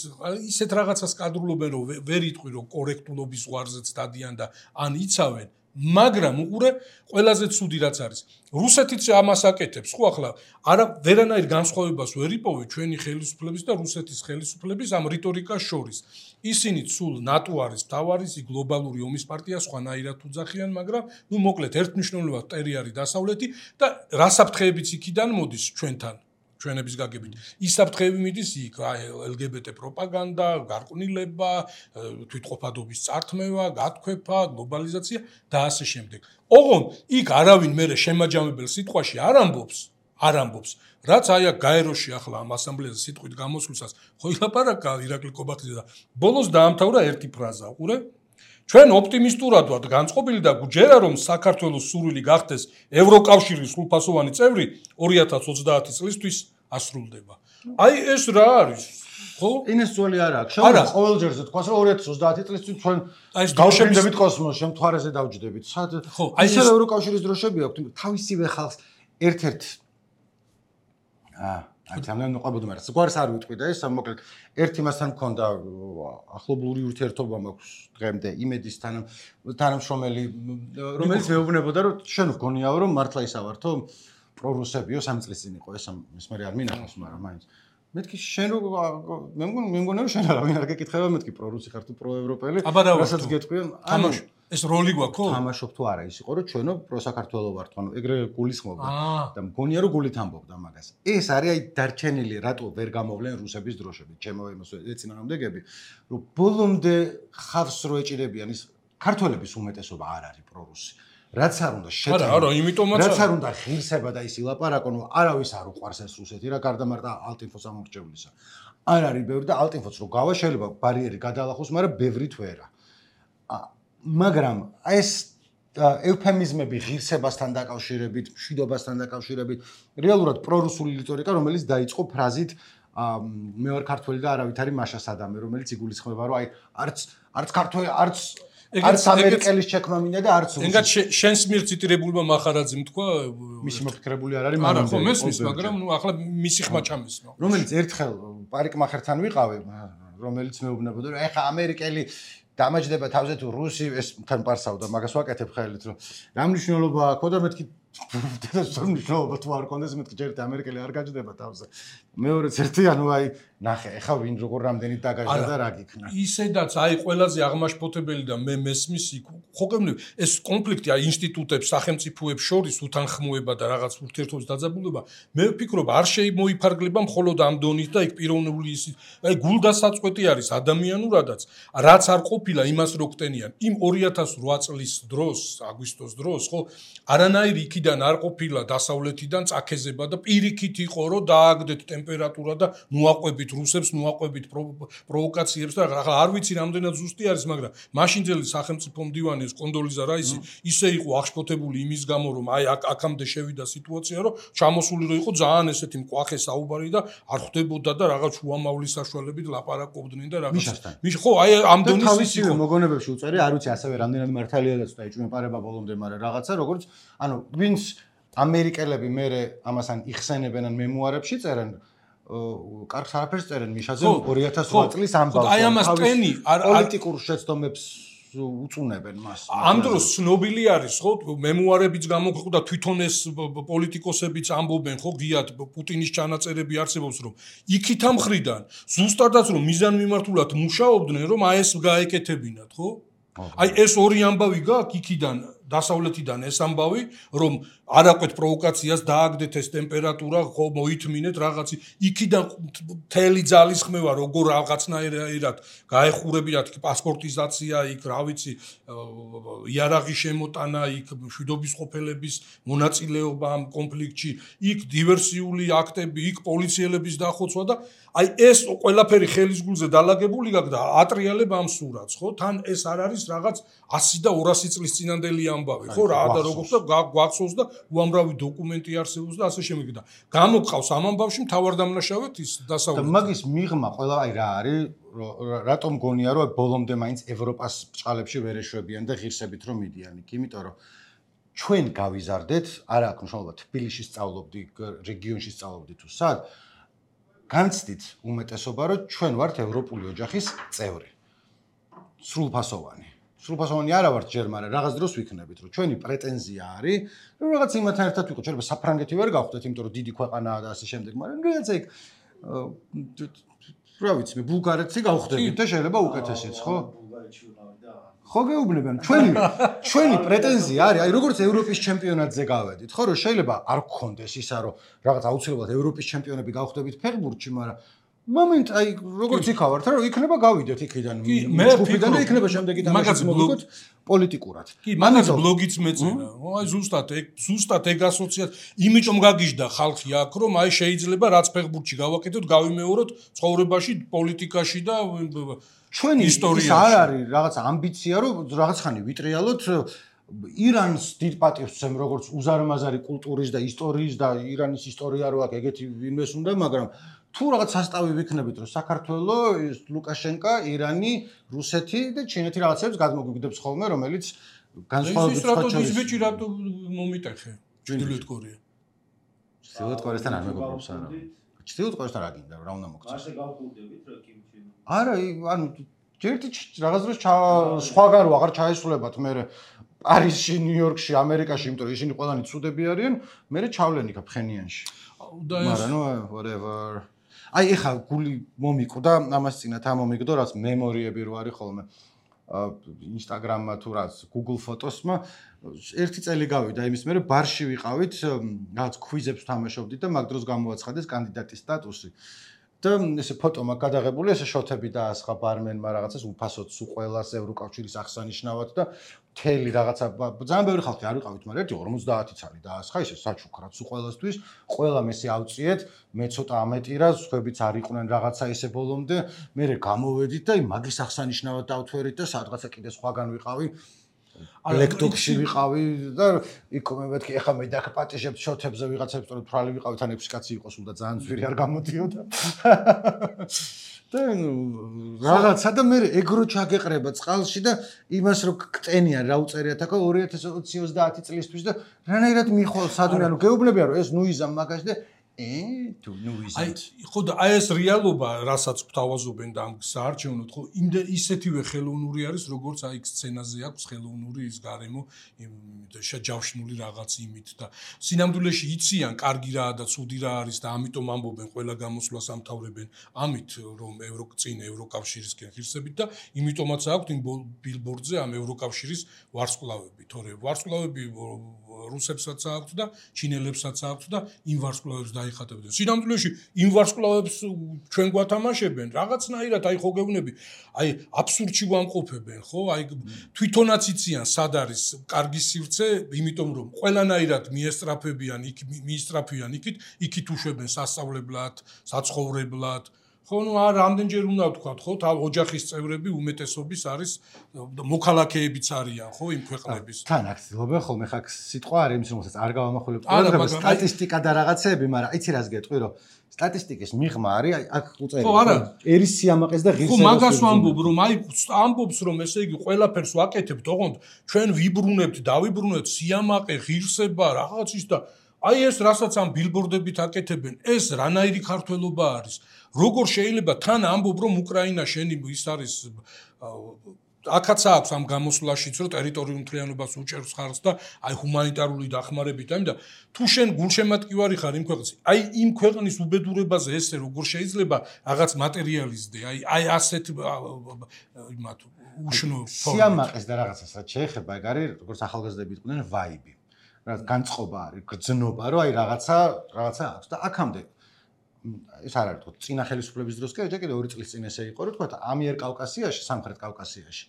ისეთ რაღაცას კადრულობენ, რომ ვერ იტყვი, რომ კორექტულობის ზღვარზეც დადიან და ან იცავენ. მაგრამ უყურე ყველაზე ცუდი რაც არის. რუსეთიც ამას აკეთებს, ხო ახლა არა ვერანაირ განსხვავებას ვერ იპოვე ჩვენი ხელისუფლების და რუსეთის ხელისუფლების ამ რიტორიკას შორის. ისინი სულ ნატო არის მთავარი, გლობალური ომის პარტია, სხვანაირად უძახიან, მაგრამ ნუ მოკლედ ერთმნიშვნელოვნად ტერი არის დასავლეთი და რასაფრთხეებიც იქიდან მოდის ჩვენთან. ჩვენების გაგებით. ის საფრთხეები მიდის იქ, აი ელ გი ბი ტი პროპაგანდა, გარყვნილება, თვითყოფადობის წართმევა, გათქვეფა, გლობალიზაცია და ასე შემდეგ. ოღონდ იქ არავინ მერე შემაჯამებელ სიტყვაში არ ამბობს, არ ამბობს. რაც აი აქ გაეროში ახლა ამ ასამბლეაზე სიტყვით გამოსვლისას ხო ილაპარაკა ირაკლი კობახიძე და ბოლოს დაამთავრა ერთი ფრაზა, უყურე? ჩვენ ოპტიმისტურად ვართ განწყობილი და გვჯერა რომ საქართველოს სურვილი გახდეს ევროკავშირის სრულფასოვანი წევრი ორი ათას ოცდაათი წლისთვის ასრულდება. აი ეს რა არის? ხო?
ინეს ძველი არა აქვს. შეუძლია ყოველ ჯერზე თქვას რომ ორი ათას ოცდაათი წლისთვის ჩვენ გავშენდებით კოსმოსში, შემთხვარეზე დავჯდებით. სად?
ხო, აი
ეს ევროკავშირის დროშები აქვს, თავისივე ხალხს ერთ-ერთ აა აი თამამენ ყვებოდი მაგრამ ზღვარს არ ვიტყვი და ეს მოკლედ ერთი მასთან მქონდა ახლობლური ურთიერთობა მაქვს დღემდე იმედის თანამშრომელი რომელიც მეუბნებოდა რომ შენ ვგონიაო რომ მართლა ისა ვართო პრორუსებიო სამი წლის წინ იყო ეს ის მე არ მინახავს მაგრამ მაინც მეთქი შენ რო მე მგონი მე მგონი რომ შენ არავინ არ გეკითხება მეთქი პრორუსი ხარ თუ პროევროპელი რასაც გეტყვიან ანუ
ეს როლი გვაქვს ხო?
თამაშობ თუ არა ის იყო რომ ჩვენო პროსაქართველო ვართ, ანუ ეგრე გულისხმობდა და მგონია რომ გულით ამბობდა მაგას. ეს არის აი დარჩენილი რატო ვერ გამოვლენ რუსების დროშები, ჩემო ემოს ეწინააღმდეგები, რომ ბოლომდე ხავს რო ეჭირებიან ის ქართველების უმეტესობა არ არის პრორუსი. რაც არ უნდა შეჭრა.
არა, არა, იმიტომაც
რაც არ უნდა ღირსება და ის ილაპარაკონ, არავის არ უყვარს ეს რუსეთი რა გარდა მარტო ალტინფოს ამორჩევლისა. არ არის ბევრი და ალტინფოს რო გავა შეიძლება ბარიერი გადალახოს, მაგრამ ბევრით ვერა. მაგრამ ეს ევფემიზმები ღირსებასთან დაკავშირებით, მშვიდობასთან დაკავშირებით, რეალურად პრორუსული რიტორიკა, რომელიც დაიწყო ფრაზით მე ვარ ქართველი და არავით არის მაშა სადამე, რომელიც იგულისხმება, რომ აი არც არც ქართველი, არც არც ამერიკელის ჩექმა მინდა და არც რუსი.
ეგაც შენს მიერ ციტირებულმა მახარაძემ თქვა,
მისი მოფიქრებული არ არის,
მაგრამ ხო მესმის, მაგრამ ნუ ახლა მისი ხმა ჩამესმა.
რომელიც ერთხელ პარიკ მახერთან ვიყავი, რომელიც მეუბნებოდა, რომ ეხა ამერიკელი დამაჯდება თავზე თუ რუსი ეს თან პარსავდა მაგას ვაკეთებ ხელით რომ რა მნიშვნელობა აქვს და მეთქი ეს მნიშვნელობა თუ არ კონდეს მეთქი ჯერ ამერიკელი არ გაჯდება თავზე მეორეც ერთი ანუ აი ნახე ეხა ვინ როგორ რამდენი დაგაჟდა და რა გიქნა
ისედაც აი ყველაზე აღმაშფოთებელი და მე მესმის ხო გემნები ეს კონფლიქტი აი ინსტიტუტებს სახელმწიფოებს შორის უთანხმოება და რაღაც ურთიერთობის დაძაბულობა მე ვფიქრობ არ შემოიფარგლება მხოლოდ ამ დონით და იქ პიროვნული ის აი გულდასაწყვეტი არის ადამიანურადაც რაც არ ყოფილა იმას რო ხტენიან იმ ორი ათას ოთხ წლის დროს აგვისტოს დროს ხო არანაირი იქიდან არ ყოფილა დასავლეთიდან წაქეზება და პირიქით იყო რომ დააგდეთ ტემპერატურა და ნუაყვებით რუსებს ნუაყვებით პროვოკაციებს და ახლა არ ვიცი რამდენად ზუსტი არის მაგრამ მაშინძელი სახელმწიფო მდივანი ეს კონდოლიზა რაისი ისე იყო აღშფოთებული იმის გამო რომ აი აქამდე შევიდა სიტუაცია რომ ჩამოსული რო იყო ძალიან ესეთი მკვახე საუბარი და არ ხვდებოდა და რაღაც უამავლის საშუალებით ლაპარაკობდნენ და რაღაც მის ხო აი ამ დონის
თავისივე მოგონებებში უწერი არ ვიცი ასევე რამდენად მართალიადაც და ეჭვმეპარება ბოლომდე მაგრამ რაღაცა როგორც ანუ ვინც ამერიკელები მე ამასან იხსენებენ ან მემუარებში წერენ კარგს არაფერს წერენ მიშაზე ორი ათას ოთხ წლის ამბავს
აი ამას ტენი
პოლიტიკურ შეცდომებს უწუნებენ მას
ამ დროს ცნობილი არის ხო მემუარებიც გამოგვხვდა თვითონ ეს პოლიტიკოსებიც ამბობენ ხო გიათ პუტინის ჩანაწერები არსებობს რომ იქით ამ ხრიდან ზუსტადაც რომ მიზანმიმართულად მუშაობდნენ რომ აი ეს გაეკეთებინათ ხო აი ეს ორი ამბავი გაქვს იქიდან დასავლეთიდან ეს ამბავი, რომ არაკვეთ პროვოკაციას დააგდეთ ეს ტემპერატურა, ხო მოითმინეთ რაღაცი, იქიდან მთელი ძალისხმევა როგორ რაღაცნაირად გაეხურებინათ პასპორტიზაცია, იქ რა ვიცი, იარაღი შემოტანა, იქ მშვიდობის ყოფილების მონაწილეობა ამ კონფლიქტში, იქ დივერსიული აქტები, იქ პოლიციელების დახოცვა და აი ეს ყველაფერი ხელის გულზე დალაგებული გაქვს და ატრიალებ ამ სურათს, ხო? თან ეს არ არის რაღაც ასი და ორასი წლის წინანდელი ამბავი, ხო? რა და როგორც და გვახსოვს და უამრავი დოკუმენტი არსებობს და ასე შემდეგ და გამოყავს ამ ამბავში მთავარ დამნაშავედ ის დასავლეთი.
და მაგის მიღმა ყველა აი რა არის, რატომ გონია რომ ბოლომდე მაინც ევროპას ბჭყალებში ვერ ეშვებიან და ღირსებით რომ მიდიან იქ, იმიტომ რომ ჩვენ გავიზარდეთ, არა აქვს მნიშვნელობა თბილისში სწავლობდი, რეგიონში სწავლობდი თუ სად, განცდით უმეტესობა რომ ჩვენ ვართ ევროპული ოჯახის წევრი. სრულფასოვანი. სრულფასოვანი არა ვართ ჯერ, მაგრამ რაღაც დროს ვიქნებით, რომ ჩვენი პრეტენზია არის, რომ რაღაც იმათთან ერთად ვიყო, შეიძლება საფრანგეთი ვერ გავხდეთ, იმიტომ რომ დიდი ქვეყანაა და ასე შემდეგ, მაგრამ რაღაცა იქ რა ვიცი, მე ბულგარეთში გავხდებით და შეიძლება უკეთესიც, ხო? ხო გეუბნებიან, ჩვენი ჩვენი პრეტენზია არის, აი როგორც ევროპის ჩემპიონატზე გავედით, ხო, რომ შეიძლება არ გქონდეს ისა, რომ რაღაც აუცილებლად ევროპის ჩემპიონები გავხდებით ფეხბურთში, მაგრამ მომენტ აი როგორც იქავართ, რომ იქნება გავიდეთ იქიდან, ჯგუფიდან და იქნება შემდეგი თამაში მოვიგოთ პოლიტიკურად.
კი, მაგაც ბლოგიც მეწერა. აი ზუსტად ეგ ზუსტად ეგ ასოციაცია, იმიტომ გაგიჟდა ხალხი აქ, რომ აი შეიძლება რაც ფეხბურთში გავაკეთოთ, გავიმეოროთ ცხოვრებაში, პოლიტიკაში და
ჩვენი ის არ არის რაღაც ამბიცია, რომ რაღაც ხანი ვიტრიალოთ ირანს დიდ პატივს ვცემ, როგორც უზარმაზარი კულტურის და ისტორიის და ირანის ისტორია რო აქვს, ეგეთი ვინმეს უნდა, მაგრამ თუ რაღაც სასტავი ვიქნებით, რომ საქართველოს, ლუკაშენკა, ირანი, რუსეთი და ჩინეთი რაღაცებს გადმოგვიგდებს ხოლმე, რომელიც განსხვავებით
სხვა ის ბიჭი რატო მომიტეხე? ჩრდილოეთ კორეა.
ჩრდილოეთ კორეასთან არ მეგობრობს არა. ჩრდილოეთ კორეასთან რა გინდა, რა უნდა მოგწეს?
ასე გავხურდებით რა კიმჩი.
არა, ანუ ჯერტი რაღაც დროს სხვაგან აღარ ჩაესულებათ მე პარიზში, ნიუ-იორკში, ამერიკაში, იმიტომ რომ ისინი ყველანი ცუდები არიან, მე ჩავლენ იქ ფხენიანში. მაგრამ ნუ whatever. აი ეხა გული მომიკვდა, ამას წინათ ამ მომიგდო, რაც მემორიები რო არის ხოლმე. Instagram-მა თუ რაც Google Photos-მა ერთი წელი გავიდა იმის მერე ბარში ვიყავით, რაღაც ქვიზებს თამაშობდით და მაგ დროს გამოაცხადეს კანდიდატის სტატუსი. და ესე ფოტო მაგ გადაღებული, ესე შოთები დაასხა ბარმენმა რაღაცას უფასოდ სულ ყველას ევროკავშირის აღსანიშნავად და მთელი რაღაცა ძალიან ბევრი ხალხი არ ვიყავით, მაგრამ ერთი ორმოცდაათი ცალი დაასხა, ესე საჩუქრად სულ ყველასთვის, ყველამ ესე ავწიეთ, მე ცოტა ამეტირა, სხვებიც არ იყვნენ რაღაცა ესე ბოლომდე, მე გამოვედით და მაგის აღსანიშნავად დავთვერით და სადღაცა კიდე სხვაგან ვიყავი. ლექტოქში ვიყავი და იქ მეთქი ეხა მე დაკპატიჟებ შოთებზე ვიღაცებს თორე თვალი ვიყავი თან ექვსი კაცი იყო სულ და ძალიან ძვირი არ გამოდიოდა და რაღაცა და მე ეგრო ჩაგეყრება წყალში და იმას რო კტენიან რა უწერიათ აქ ორი ათას ოცდაათი წლისთვის და რანაირად მიხვალ სადმე ანუ გეუბნებიან რომ ეს ნუიზამ მაგაში და ე თუ ნუიზამ
აი ხო და აი ეს რეალობა რასაც გვთავაზობენ და ამ საარჩევნოდ ხო იმდენ ისეთივე ხელოვნური არის როგორც აი სცენაზე აქვს ხელოვნური ის გარემო შეჯავშნული რაღაც იმით და სინამდვილეში იციან კარგი რაა და ცუდი რა არის და ამიტომ ამბობენ ყველა გამოსვლას ამთავრებენ ამით რომ ევროკწინ ევროკავშირისკენ ღირსებით და იმიტომაც აქვს იმ ბილბორდზე ამ ევროკავშირის ვარსკვლავები თორე ვარსკვლავები რუსებსაც აქვს და ჩინელებსაც აქვს და იმ ვარსკვლავებს დაიხატებდნენ. სინამდვილეში იმ ვარსკვლავებს ჩვენ გვათამაშებენ რაღაცნაირად აი ხო გეუბნები აი აბსურდში ვამყოფებენ ხო აი თვითონაც იციან სად არის კარგი სივრცე იმიტომ რომ ყველანაირად მიესტრაფებიან იქ მიისტრაფიან იქით იქით უშვებენ სასწავლებლად საცხოვრებლად ხო ნუ არ რამდენჯერ უნდა ვთქვათ ხო თავ ოჯახის წევრები უმეტესობის არის მოქალაქეებიც არიან ხო იმ ქვეყნების
თან აქ ცდილობენ ხოლმე ხა სიტყვა არის იმის რომელსაც არ გავამახვილებ ყველა სტატისტიკა და რაღაცეები მაგრამ იცი რას გეტყვი რომ სტატისტიკის მიღმა არის აქ უწერია
ხო არა
ერის სიამაყეს და ღირსებას
ხო მაგას ვამბობ რომ აი ამბობს რომ ესე იგი ყველაფერს ვაკეთებთ ოღონდ ჩვენ ვიბრუნებთ დავიბრუნებთ სიამაყე ღირსება რაღაცის და აი ეს რასაც ამ ბილბორდებით აკეთებენ ეს რანაირი ქართველობა არის როგორ შეიძლება თან ამბობ რომ უკრაინა შენი ის არის აქაც აქვს ამ გამოსვლაშიც რომ ტერიტორიულ მთლიანობას უჭერს ხარს და აი ჰუმანიტარული დახმარებით ამი და თუ შენ გულშემატკივარი ხარ იმ ქვეყნის აი იმ ქვეყნის უბედურებაზე ესე როგორ შეიძლება რაღაც მატერიალიზდე აი აი ასეთ იმათ უშნო
სიამაყეს და რაღაცას რაც შეეხება ეგ არის როგორც ახალგაზრდები იყვნენ ვაიბი რა განწყობა არის გრძნობა რომ აი რაღაცა რაღაცა აქვს და აქამდე ეს არ არის თქო წინა ხელისუფლების დროს კი ეჭა კიდე ორი წლის წინ ესე იყო რომ თქო ამიერ კავკასიაში სამხრეთ კავკასიაში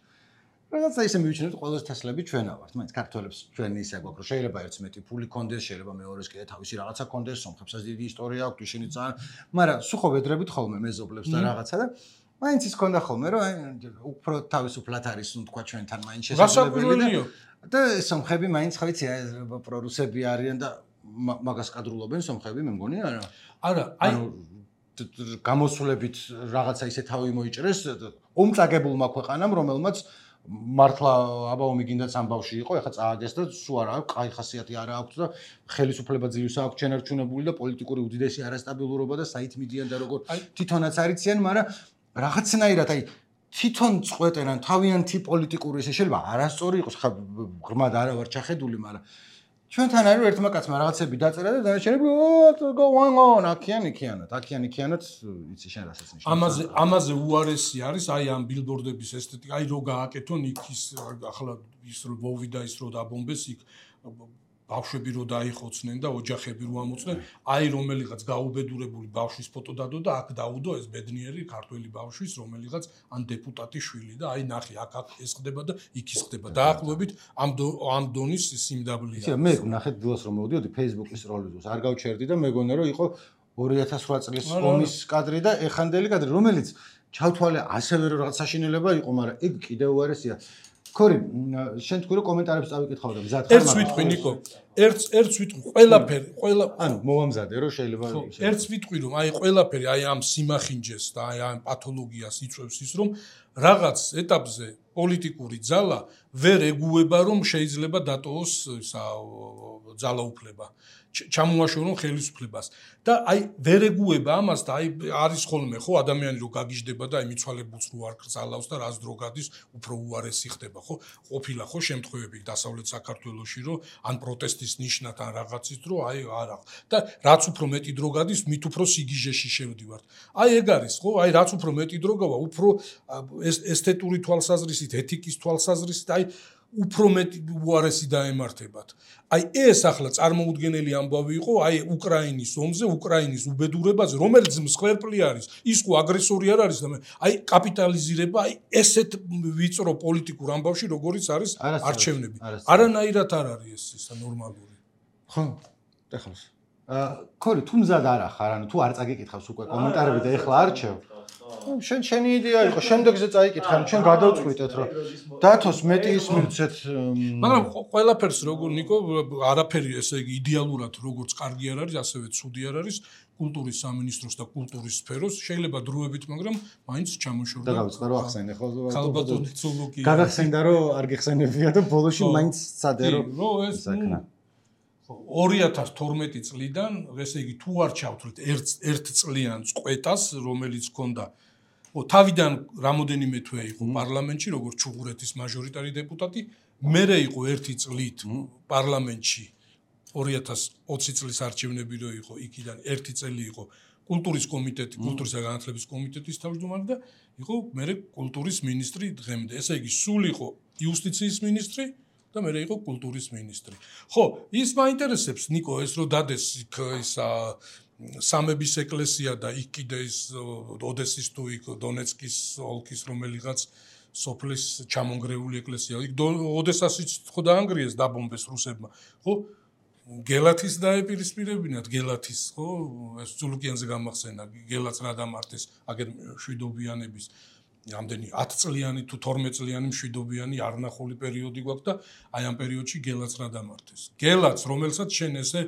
რაღაცა ისე მივიჩნევთ ყველაზე თესლები ჩვენა ვართ მაინც ქართველებს ჩვენი ისე გვაქვს რომ შეიძლება ერთს მეტი ფული კონდეს შეიძლება მეორეს კიდე თავისი რაღაცა კონდეს სომხებსაც დიდი ისტორია აქვს ისინი ძალიან მაგრამ სულ ვედრებით ხოლმე მეზობლებს და რაღაცა და მაინც ის ქონდა ხოლმე რომ აი უფრო თავისუფლად არის ნუ თქვა ჩვენთან მაინც
შესაძლებელი
და სომხები მაინც ხო იცი პრორუსები არიან და მაგას კადრულობენ სომხები მე მგონი არა
არა აი
გამოსვლებით რაღაცა ისე თავი მოიჭრეს ომწაგებულმა ქვეყანამ რომელმაც მართლა აბაომი გინდაც ამბავში იყო ეხლა წააგეს და სულ არა აქვს კაი ხასიათი არა აქვს და ხელისუფლება ძლივს აქვს ჩენარჩუნებული და პოლიტიკური უდიდესი არასტაბილურობა და საით მიდიან და როგორ თვითონაც არიციან მაგრამ რაღაცნაირად აი თვითონ წყვეტენ ან თავიანთი პოლიტიკური ესე შეიძლება არასწორი იყოს ხა ღრმად არა ვარ ჩახედული მაგრამ ჩვენთან არის ერთმა კაცმა რაღაცები დაწერა და დანარჩენები go on on აქიან იქიანად აქიან იქიანად იცი შენ რასაც ნიშნავს
ამაზე ამაზე უარესი არის აი ამ ბილბორდების ესთეტიკა აი რო გააკეთონ იქ ის ახლა ის რო მოვიდა ის რო დაბომბეს იქ ბავშვები რო დაიხოცნენ და ოჯახები რო ამოწნენ აი რომელიღაც გაუბედურებული ბავშვის ფოტო დადო და აქ დაუდო ეს ბედნიერი ქართველი ბავშვის რომელიღაც ან დეპუტატის შვილი და აი ნახე აქ აქ ეს ხდება და იქ ის ხდება დაახლოებით ამ ამ დონის სიმდაბლეა
იცი მე ნახეთ დილას რომ მოვდიოდი Facebook-ის როლიზოს არ გავჩერდი და მეგონა რომ იყო ორი ათას ოთხ წლის ომის კადრი და ეხანდელი კადრი რომელიც ჩავთვალე ასევე რომ რაღაც საშინელება იყო მაგრამ ეგ კიდევ უარესია ქორი შენ თქვი რომ კომენტარებს წავიკითხავ და მზად ხარ
ერთს ვიტყვი ნიკო ერთს ერთს ვიტყვი ყველაფერი ყველა
ანუ მოვამზადე რომ შეიძლება
ერთს ვიტყვი რომ აი ყველაფერი აი ამ სიმახინჯეს და აი ამ პათოლოგიას იწვევს ის რომ რაღაც ეტაპზე პოლიტიკური ძალა ვერ ეგუება რომ შეიძლება დატოვოს ისა ძალაუფლება ჩამოაშორონ ხელისუფლებას და აი ვერ ეგუება ამას და აი არის ხოლმე ხო ადამიანი რო გაგიჟდება და აი მიცვალებულს რო არ გრძალავს და რას დრო გადის უფრო უარესი ხდება ხო ყოფილა ხო შემთხვევები დასავლეთ საქართველოში რომ ან პროტესტის ნიშნად ან რაღაცის დრო აი არა და რაც უფრო მეტი დრო გადის მით უფრო სიგიჟეში შევდივართ აი ეგ არის ხო აი რაც უფრო მეტი დრო გავა უფრო ესთეტური თვალსაზრისით ეთიკის თვალსაზრისით აი უფრო მეტი უარესი დაემართებათ. აი ეს ახლა წარმოუდგენელი ამბავი იყო აი უკრაინის ომზე, უკრაინის უბედურებაზე, რომელიც მსხვერპლი არის, ის ხო აგრესორი არ არის და აი კაპიტალიზირება აი ესეთ ვიწრო პოლიტიკურ ამბავში, როგორიც არის არჩევნები. არანაირად არ არის ეს ისა ნორმალური.
ხო, ეხლა. აა, ქორი, თუ მზად არ ახარ, ანუ თუ არ წაგიკითხავს უკვე კომენტარები და ეხლა არჩევ. შენ შენი იდეა იყო, შემდეგზე წაიკითხე, ჩვენ გადავწყვიტეთ, რომ დათოს მეტი ის მივცეთ.
მაგრამ ყველაფერს როგორ ნიკო, არაფერი ესე იგი იდეალურად როგორც კარგი არ არის, ასევე ცუდი არ არის. კულტურის სამინისტროს და კულტურის სფეროს შეიძლება დროებით, მაგრამ მაინც ჩამოშორდა.
და გავწყდა რომ ახსენე ხო?
ქალბატონი ცულუკი.
გადახსენდა რომ არ გიხსენებია და ბოლოში მაინც სადე რომ
ეს ორი ათას თორმეტი წლიდან, ესე იგი თუ არ ჩავთვლით ერთ ერთ წლიან წყვეტას, რომელიც ჰქონდა თავიდან რამოდენიმე თვე იყო პარლამენტში, როგორც ჩუღურეთის მაჟორიტარი დეპუტატი, მერე იყო ერთი წლით პარლამენტში ორი ათას ოცი წლის არჩევნები რო იყო, იქიდან ერთი წელი იყო კულტურის კომიტეტი, კულტურისა და განათლების კომიტეტის თავმჯდომარე და იყო მერე კულტურის მინისტრი დღემდე. ესე იგი, სულ იყო იუსტიციის მინისტრი და მერე იყო კულტურის მინისტრი. ხო, ის მაინტერესებს ნიკო ეს რო დადეს იქ ისა სამების ეკლესია და იქ კიდე ის ოდესის თუ იქ დონეცკის ოლქის რომელიღაც სოფლის ჩამონგრეული ეკლესია. იქ ოდესასიც ხო დაანგრიეს დაბომბეს რუსებმა. ხო? გელათის დაეპირისპირებინათ გელათის ხო ეს ზულუკიანზე გამახსენა გელაც რა დამართეს აგერ შვიდობიანების ამდენი ათი წლიანი თუ თორმეტი წლიანი შვიდობიანი არნახული პერიოდი გვაქვს და აი ამ პერიოდში გელაც რა დამართეს გელაც რომელსაც შენ ესე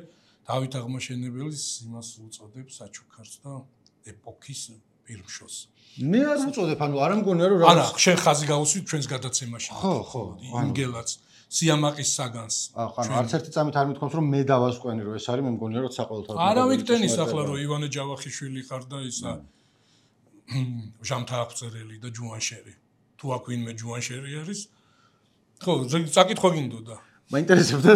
დავით აღმაშენებელის იმას უწოდებს საჩუქარს და ეპოქის პირმშოს
მე არ უწოდებ ანუ არ მგონია რომ
არა შენ ხაზი გავუსვით ჩვენს გადაცემაში
ხო ხო
იმ გელაც სიამაყის საგანს.
ახლა არც ერთი წამით არ მithქვამს რომ მე დავასკვენი რომ ეს არის მე მგონია რომ საყოველთაოდ
არა ვიქტენის ახლა რომ ივანე ჯავახიშვილი ხარ და ისა ჟამთა აღწერელი და ჯუანშერი. თუ აქ ვინმე ჯუანშერი არის. ხო, საკითხვა გინდოდა.
მაინტერესებდა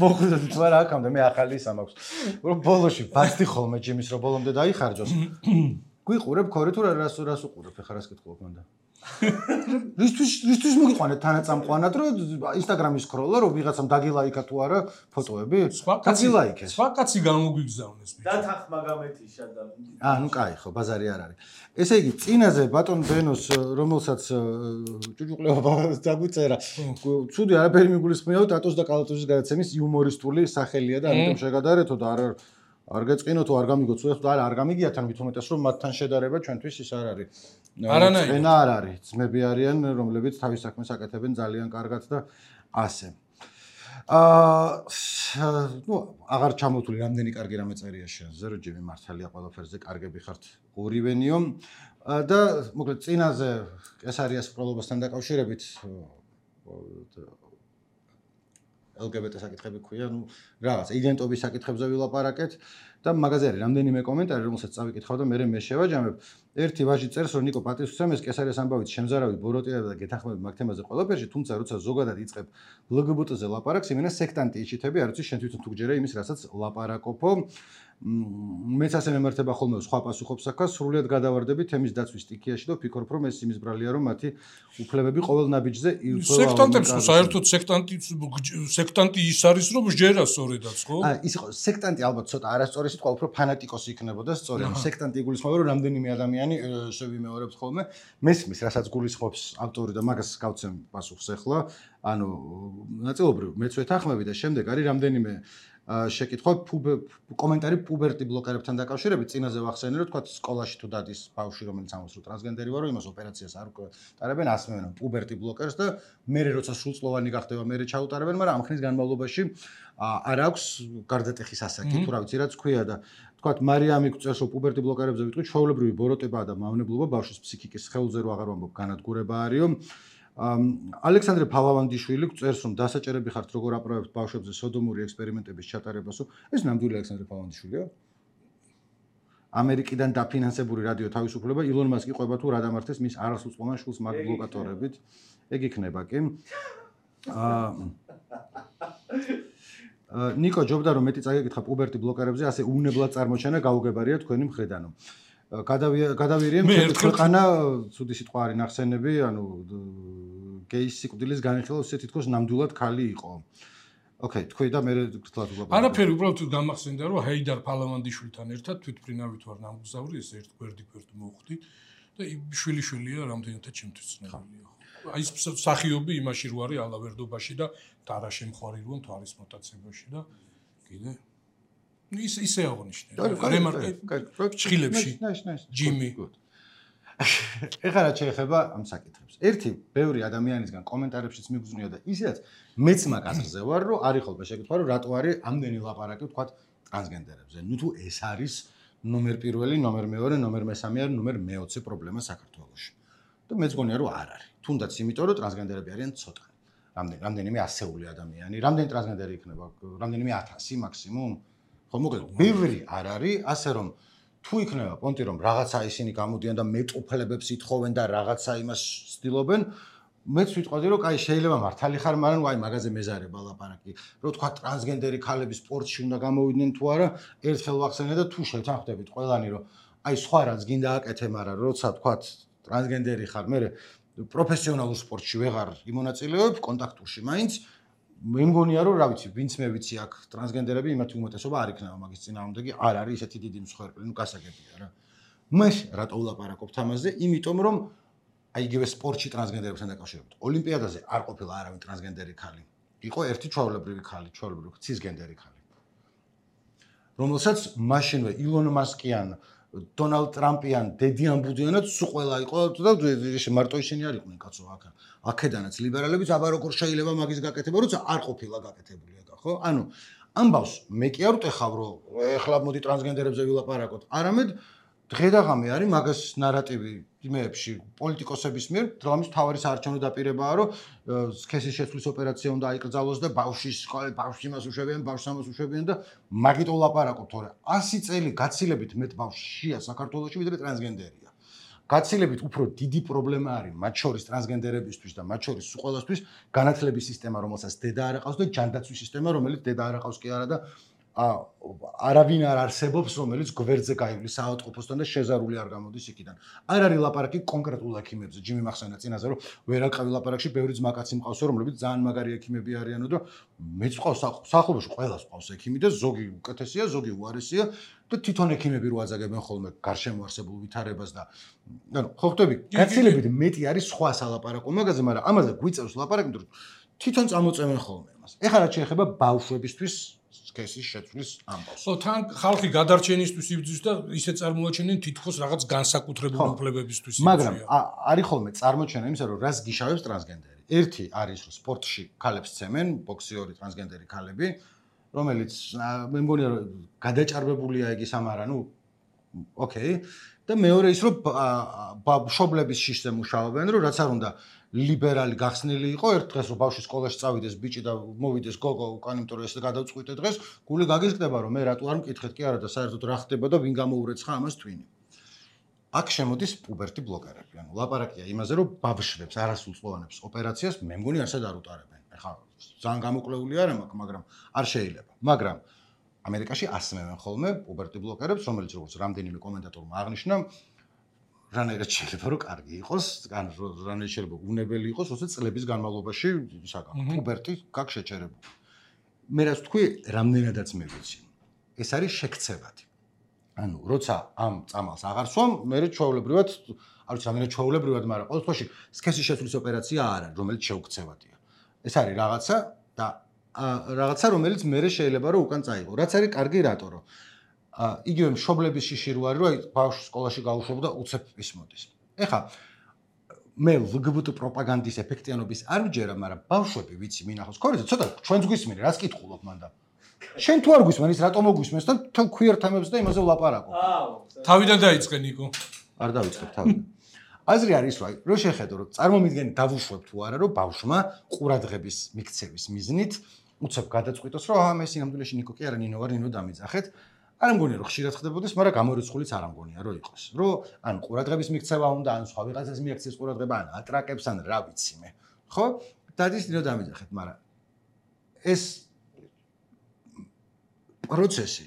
მოხდეთ თუ არა აქამდე მე ახალი ისა მაქვს. რომ ბოლოში ბასტი ხოლმე ჯიმის რო ბოლომდე დაიხარჯოს. გვიყურებ ქორი თუ რას რას უყურებ ხა რას კითხულობ მანდა. რისთვის რისთვის მოგიყვანეთ თანაწამყვანად რომ Instagram-ის სკროლო რომ ვიღაცამ დაგილაიკა თუ არა ფოტოები? დაგილაიკეს.
სხვა კაცი გამოგვიგზავნეს.
და თანხმა გამეთიშა და
აა ნუ კაი ხო ბაზარი არ არის. ესე იგი წინაზე ბატონ ბენოს რომელსაც ჭუჭუყლეობა დაგვიწერა. ცუდი არაფერი მიგულისხმევა ტატოს და კალათოვის გადაცემის იუმორისტული სახელია და ამიტომ შეგადარეთო და არ არ გეწყინო თუ არ გამიგო თუ ეხლა არ გამიგია თან მithumetes რომ მათთან შედარება ჩვენთვის ის არ არის.
არანაირი.
ენა არ არის. ძმები არიან რომლებიც თავის საქმეს აკეთებენ ძალიან კარგად და ასე. აა ნუ აღარ ჩამოთვლი რამდენი კარგი რამე წერია შენზე რომ ჯიმი მართალია ყველაფერზე კარგები ხართ ორივენიო და მოკლედ წინაზე კესარიას პროლობასთან დაკავშირებით ელ გი ბი ტე საკითხები ქვია, ნუ რაღაც იდენტობის საკითხებზე ვილაპარაკეთ და მაგაზე არის რამდენიმე კომენტარი, რომელსაც წავიკითხავ და მე მე შევაჯამებ. ერთი ვაჟი წერს, რომ ნიკო პატივსცემეს კესარიას ამბავით შემზარავით ბოროტიებდა და გეთანხმებით მაგ თემაზე ყველაფერში, თუმცა როცა ზოგადად იწყებ ელ გი ბი ტე-ზე ლაპარაკს, იმენა სექტანტი იჩითები, არ ვიცი შენ თვითონ თუ გჯერე იმის, რასაც ლაპარაკობო. მეც ასე მემართება ხოლმე სხვა პასუხობს აქა, სრულიად გადავარდები თემის დაცვის სტიქიაში და ვფიქრობ, რომ ეს იმის ბრალია, რომ მათი უფლებები ყოველ ნაბიჯზე ირწევა.
სექტანტებს ხო საერთოდ სექტანტი სექტანტი ის არის, რომ ჯერა სწორედაც, ხო?
აა ის იყო სექტანტი ალბათ ცოტა არასწორი სიტყვა, უფრო ფანატიკოსი იქნებოდა სწორი. ანუ სექტანტი იგულისხმება, რომ რამდენიმე ადამიანი შევიმეორებს ხოლმე, მესმის, რასაც გულისხმობს ავტორი და მაგას გავცემ პასუხს ახლა. ანუ ნაწილობრივ მეც ვეთანხმები და შემდეგ არის რამდენიმე შეკითხვა კომენტარი პუბერტი ბლოკერებთან დაკავშირებით. წინაზე ვახსენე, რომ თქვა სკოლაში თუ დადის ბავშვი, რომელიც ამბობს, რომ ტრანსგენდერი ვარო, იმას ოპერაციას არ უკეთებენ, ასმევენ პუბერტი ბლოკერს და მე როცა სრულწლოვანი გახდება, მე ჩაუტარებენ, მაგრამ ამ ხნის განმავლობაში არ აქვს გარდატეხის ასაკი, თუ რა ვიცი, რაც ქვია და თქვა მარიამი გვწერს, რომ პუბერტი ბლოკერებზე ვიტყვი, ჩვეულებრივი ბოროტებაა და მავნებლობა ბავშვის ფსიქიკის სხეულზე რო აღარ ვამბობ, განადგურება არისო. ალექსანდრე ფალავანდიშვილი წერს, რომ დასაჭერები ხართ როგორ აპროებთ ბავშვებზე სოდომური ექსპერიმენტების ჩატარებასო. ეს ნამდვილი ალექსანდრე ფალავანდიშვილია? ამერიკიდან დაფინანსებული რადიო თავისუფლება ილონ მასკი ყვება თუ რა დამართეს მის არასრულწლოვან შვილს მაგ ბლოკატორებით. ეგ იქნება კი. აა ნიკო ჯობდა რომ მეტი წაგეკითხა პუბერტი ბლოკერებზე, ასე უნებლად წარმოჩენა გაუგებარია თქვენი მხრიდანო. გადავირიემ ქვეყანა ცუდი სიტყვა არის ნახსენები, ანუ გეის სიკვდილის განხილვა ისე თითქოს ნამდვილად ქალი იყო. ოკეი, თქვი და მე გთხოვთ უბრალოდ.
არაფერი, უბრალოდ გამახსენდა, რომ ჰეიდარ ფალავანდიშვილთან ერთად თვითმფრინავით ვარ ნამგზავრი, ეს ერთ გვერდი გვერდი მოვხდი და შვილი-შვილია რამდენადაც ჩემთვის ცნობილია. აი ეს სახიობი იმაში რო არის ალავერდობაში და დარაში მხარი როა თვალის მოტაცებაში და კიდე ის ისე აღნიშნე. რემარკი ჩხილებში. ჯიმი.
ეხლა რა შეიძლება ამ საკითხებს. ერთი ბევრი ადამიანისგან კომენტარებშიც მიგზნია და ისედაც მეც მაგაზე ვარ, რომ არის ხოლმე შეკითხვა, რომ რატო არის ამდენი ლაპარაკი თქვა ტრანსგენდერებზე. ნუ თუ ეს არის ნომერ პირველი, ნომერ მეორე, ნომერ მესამე ან ნომერ მეოცე პრობლემა საქართველოში. და მეც გონია რომ არ არის. თუნდაც იმიტომ რომ ტრანსგენდერები არიან ცოტა. რამდენი რამდენიმე ასეული ადამიანი, რამდენი ტრანსგენდერი იქნება, რამდენიმე ათასი მაქსიმუმ. ხო მოკლედ ბევრი არ არის, ასე რომ თუ იქნება პონტი რომ რაღაცა ისინი გამოდიან და მეტოფლებებს ითხოვენ და რაღაცა იმას ცდილობენ, მეც ვიტყოდი რომ კაი შეიძლება მართალი ხარ, მაგრამ აი მაგაზე მეზარება ლაპარაკი. რომ თქვა ტრანსგენდერი ქალები სპორტში უნდა გამოვიდნენ თუ არა, ერთხელ ვახსენე და თუ შევთანხმდებით ყველანი რომ აი სხვა რაც გინდა აკეთე, მაგრამ როცა თქვა ტრანსგენდერი ხარ, მე პროფესიონალურ სპორტში ვეღარ იმონაწილეობ, კონტაქტურში მაინც მე მგონია რომ რა ვიცი, ვინც მე ვიცი აქ ტრანსგენდერები იმათი უმეტესობა არ იქნება მაგის წინააღმდეგი, არ არის ესეთი დიდი მსხვერპლი, ნუ გასაგებია რა. მე რატო ვლაპარაკობთ ამაზე? იმიტომ რომ აი იგივე სპორტში ტრანსგენდერებთან დაკავშირებით. ოლიმპიადაზე არ ყოფილა არავინ ტრანსგენდერი ქალი. იყო ერთი ჩვეულებრივი ქალი, ჩვეულებრივი ცისგენდერი ქალი. რომელსაც მაშინვე ილონ მასკიან, დონალდ ტრამპიან, დედიან ბუდიანაც სულ ყველა იყო და მარტო ისინი არ იყვნენ კაცო აქ. აქედანაც ლიბერალებიც აბა როგორ შეიძლება მაგის გაკეთება, როცა არ ყოფილა გაკეთებული ეგა, ხო? ანუ ამბავს მე კი არ ვტეხავ რომ ეხლა მოდი ტრანსგენდერებზე ვილაპარაკოთ. არამედ დღედაღამე არის მაგას ნარატივი იმეებში პოლიტიკოსების მიერ, დრამის მთავარი საარჩევნო დაპირებაა, რომ სქესის შეცვლის ოპერაცია უნდა აიკრძალოს და ბავშვის ბავშვი მას უშვებიან, ბავშვს ამას უშვებიან და მაგით ვლაპარაკობ, თორე ასი წელი გაცილებით მეტ ბავშვია საქართველოში ვიდრე ტრანსგენდერია. გაცილებით უფრო დიდი პრობლემა არის მათ შორის ტრანსგენდერებისთვის და მათ შორის ყველასთვის განათლების სისტემა, რომელსაც დედა არ აყავს და ჯანდაცვის სისტემა, რომელიც დედა არ აყავს კი არა და არავინ არ არსებობს, რომელიც გვერდზე გაივლის საავადმყოფოსთან და შეზარული არ გამოდის იქიდან. არ არის ლაპარაკი კონკრეტულ ექიმებზე, ჯიმი მახსენა წინაზე, რომ ვერ აყავი ლაპარაკში ბევრი ძმაკაცი მყავსო, რომლებიც ძალიან მაგარი ექიმები არიანო და მეც ყავს სახლობაში ყველას ყავს ექიმი და ზოგი უკეთესია, ზოგი უარესია და თვითონ ექიმები რო აზაგებენ ხოლმე გარშემო არსებულ ვითარებას და ანუ ხო ხვდები, გაცილებით მეტი არის სხვა სალაპარაკო მაგაზე, მაგრამ ამაზე გვიწევს ლაპარაკი, რომ თვითონ წამოწევენ ხოლმე მას. ეხლა რაც შეეხება ბავშვებისთვის სქესის შეცვლის ამბავს.
ხო, თან ხალხი გადარჩენისთვის იბრძვის და ისე წარმოაჩენენ თითქოს რაღაც განსაკუთრებული უფლებებისთვის.
მაგრამ არის ხოლმე წარმოჩენა იმისა, რომ რას გიშავებს ტრანსგენდერი. ერთი არის, რომ სპორტში ქალებს ცემენ, ბოქსიორი ტრანსგენდერი ქალები, რომელიც მე მგონია რომ გადაჭარბებულია იგი სამარა, ნუ ოკეი. და მეორე ის, რომ მშობლების შიშზე მუშაობენ, რომ რაც არ უნდა ლიბერალი გახსნილი იყო, ერთ დღეს რომ ბავშვი სკოლაში წავიდეს ბიჭი და მოვიდეს გოგო უკან, იმიტომ რომ ეს გადავწყვიტე დღეს, გული გაგიზრდება, რომ მე რატო არ მკითხეთ კი არა და საერთოდ რა ხდება და ვინ გამოურეცხა ამას twin-ი. აქ შემოდის პუბერტი ბლოკერები. ანუ ლაპარაკია იმაზე, რომ ბავშვებს არასრულწლოვანებს ოპერაციას მე მგონი არსად არ უტარებენ. ეხლა ძალიან გამოკლეული არ მაქვს, მაგრამ არ შეიძლება. მაგრამ ამერიკაში ასმევენ ხოლმე პუბერტი ბლოკერებს, რომელიც როგორც რამდენიმე კომენტატორმა აღნიშნა, რანაირად შეიძლება რომ კარგი იყოს, ან რანაირად შეიძლება უნებელი იყოს, როცა წლების განმავლობაში საგან პუბერტი გაკ შეჩერებული. მე რაც თქვი, რამდენადაც მე ვიცი. ეს არის შექცევადი. ანუ როცა ამ წამალს აღარ სვამ, მე ჩვეულებრივად, არ ვიცი, რამდენად ჩვეულებრივად, მაგრამ ყოველ შემთხვევაში სქესის შეცვლის ოპერაცია არ არის, რომელიც შეუქცევადია. ეს არის რაღაცა და რაღაცა, რომელიც მე შეიძლება რომ უკან წაიღო. რაც არის კარგი რატო რომ იგივე მშობლების შიში რო არის, რომ ბავშვი სკოლაში გაუშვებდა უცებ ის მოდის. ეხლა მე ლგბტ პროპაგანდის ეფექტიანობის არ ვჯერა, მაგრამ ბავშვები ვიცი მინახავს. ქორეზე ცოტა ჩვენს გვისმენი, რას კითხულობ მანდა? შენ თუ არ გვისმენ, ის რატო მოგვისმენს და თან queer თემებს და იმაზე ვლაპარაკო.
თავიდან დაიწყე ნიკო.
არ დავიწყებ თავიდან. აზრი არის რა, რო შეხედო, რომ წარმომიდგენი დავუშვებ თუ არა, რომ ბავშვმა ყურადღების მიქცევის მიზნით უცებ გადაწყვიტოს, რომ აა მე სინამდვილეში ნიკო კი არა, ნინო ვარ, ნინო დამიძახეთ. არ მგონია რომ ხშირად ხდებოდეს, მაგრამ გამორიცხულიც არ მგონია რომ იყოს. რომ ან ყურადღების მიქცევა უნდა, ან სხვა ვიღაცას მიაქცეს ყურადღება, ან ატრაკებს, ან რა ვიცი მე. ხო? დადის ნინო დამიძახეთ, მაგრამ ეს პროცესი,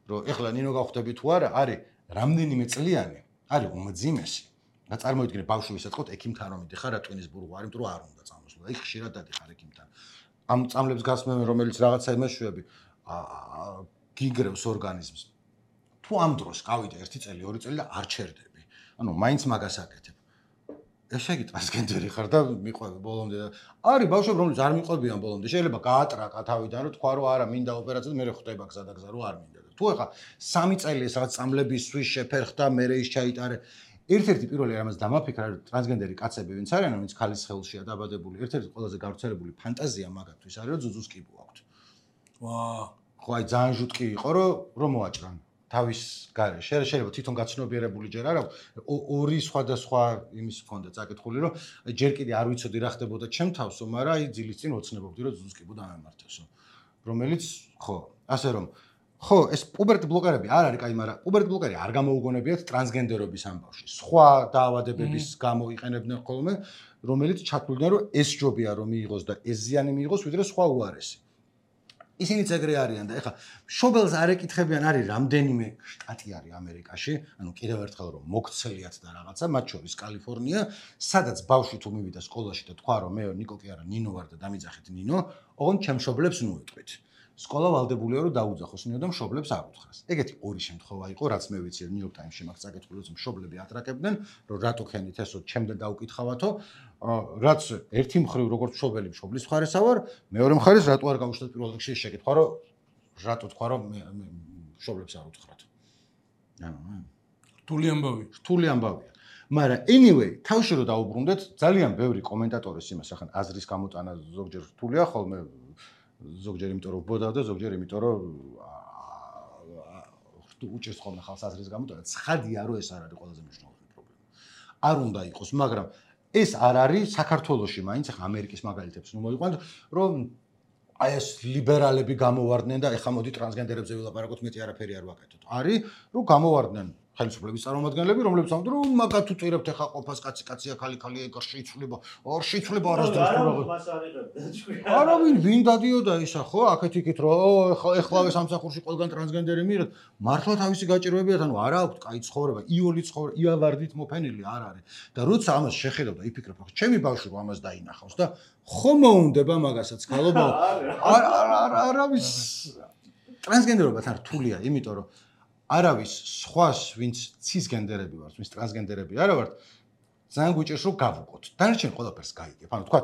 რომ ეხლა ნინო გავხდები თუ არა, არის რამდენიმე წლიანი, არის უმძიმესი. და წარმოიდგინე ბავშვი ვისაწყოთ ექიმთან რომ მიდიხარ რა ტვინის ბურღვა არის, იმიტომ რომ არ უნდა წამოსვლა. იქ ხშირად დადიხარ ექიმთან. ამ წამლებს გასმევენ, რომელიც რაღაცა იმეშვები აა გიგრევს ორგანიზმს. თუ ამ დროს გავიდე ერთი წელი, ორი წელი და არ ჩერდები. ანუ მაინც მაგას აკეთებ. ესე იგი ტრანსგენდერი ხარ და მიყვები ბოლომდე და არის ბავშვები, რომლებიც არ მიყვებიან ბოლომდე. შეიძლება გაატრაკა თავიდან, რომ თქვა რომ არა, მინდა ოპერაცია და მე ხდება გზა და გზა, რომ არ მინდა. თუ ახლა სამი წელი ეს რაღაც წამლებისთვის შეფერხდა, მე ის ჩაიტარე. ერთ-ერთი პირველი რამაც დამაფიქრა, რომ ტრანსგენდერი კაცები ვინც არიან, ვინც ქალის ხელშია დაბადებული, ერთ-ერთი ყველაზე გავრცელებული ფანტაზია მაგათთვის არის, რომ ძუძუს კიბო აქვთ.
ვა,
ხო, აი ძალიან ჟუტკი იყო, რომ რომ მოაჭრან თავის გარეშე. შეიძლება თვითონ გაცნობიერებული ჯერ არა, ორი სხვადასხვა იმის ჰქონდა წაკითხული, რომ ჯერ კიდე არ ვიცოდი რა ხდებოდა ჩემ თავსო, მაგრამ აი ძილის წინ ოცნებობდი, რომ ძუძუს კიბო დამემართესო. რომელიც ხო, ასე რომ ხო, ეს პუბერტი ბლოკერები არ არის კაი, მაგრამ პუბერტი ბლოკერი არ გამოუგონებიათ ტრანსგენდერობის ამბავში. სხვა დაავადებების გამო იყენებდნენ ხოლმე, რომელიც ჩათვლიდან რომ ეს ჯობია რომ მიიღოს და ეს ზიანი მიიღოს, ვიდრე სხვა უარესი. ისინი ეგრე არიან და ეხლა მშობელს არ ეკითხებიან, არის რამდენიმე შტატი არის ამერიკაში, ანუ კიდევ ერთხელ რომ მოგცელიათ და რაღაცა, მათ შორის კალიფორნია, სადაც ბავშვი თუ მივიდა სკოლაში და თქვა რომ მე ნიკო კი არა, ნინო ვარ და დამიძახეთ ნინო, ოღონდ ჩემ მშობლებს ნუ ეტყვით. სკოლა ვალდებულია რომ დაუძახოს ნინო და მშობლებს არ უთხრას. ეგეთი ორი შემთხვევა იყო, რაც მე ვიცი, ნიუ იორკ ტაიმსში მაგ წაკითხული, რომ მშობლები ატრაკებდნენ, რომ რატო ხენით ესო ჩემდა დაუკითხავათო, რაც ერთი მხრივ როგორც მშობელი მშობლის მხარესა ვარ, მეორე მხარეს რატო არ გავუშვათ პირველ რიგში შეკითხვა, რომ რატო თქვა რომ მშობლებს არ უთხრათ. ანუ
რთული ამბავი.
რთული ამბავია. მაგრამ anyway, თავში რომ დაუბრუნდეთ, ძალიან ბევრი კომენტატორის იმას ახლა აზრის გამოტანა ზოგჯერ რთულია ხოლმე ზოგჯერ იმიტომ რომ ბოდა და ზოგჯერ იმიტომ რომ უჭერს ხოლმე ხალხს აზრის გამოტანა. ცხადია რომ ეს არ არის ყველაზე მნიშვნელოვანი პრობლემა. არ უნდა იყოს, მაგრამ ეს არ არის საქართველოში მაინც ახლა ამერიკის მაგალითებს ნუ მოიყვანთ, რომ აი ეს ლიბერალები გამოვარდნენ და ეხლა მოდი ტრანსგენდერებზე ვილაპარაკოთ, მეტი არაფერი არ ვაკეთოთ. არის რომ გამოვარდნენ ხელისუფლების წარმომადგენლები, რომლებიც ამბობენ, რომ მაგათ უწირებთ ახლა ყოფას კაცი კაცია, ხალი ხალი ეგ შეიცვლება, არ შეიცვლება არასდროს რა. არავინ ვინ დადიოდა ისა ხო, აქეთ იქით რომ ეხლავე სამსახურში ყველგან ტრანსგენდერი მიიღეთ, მართლა თავისი გაჭირვებიათ, ანუ არა აქვს კაი ცხოვრება, იოლი ცხოვრება, იავარდით მოფენილი არ არის. და როცა ამას შეხედავ და იფიქრებ, ხო, ჩემი ბავშვი რომ ამას დაინახავს და ხო მოუნდება მაგასაც ხალობა. არ არ არავის ტრანსგენდერობა თან რთულია, იმიტომ რომ არავის სხვას, ვინც ცისგენდერები ვართ, ვინც ტრანსგენდერები არა ვართ, ძალიან გვიჭირს რომ გავუყოთ. დანარჩენი ყველაფერს გაიგებ. ანუ თქვა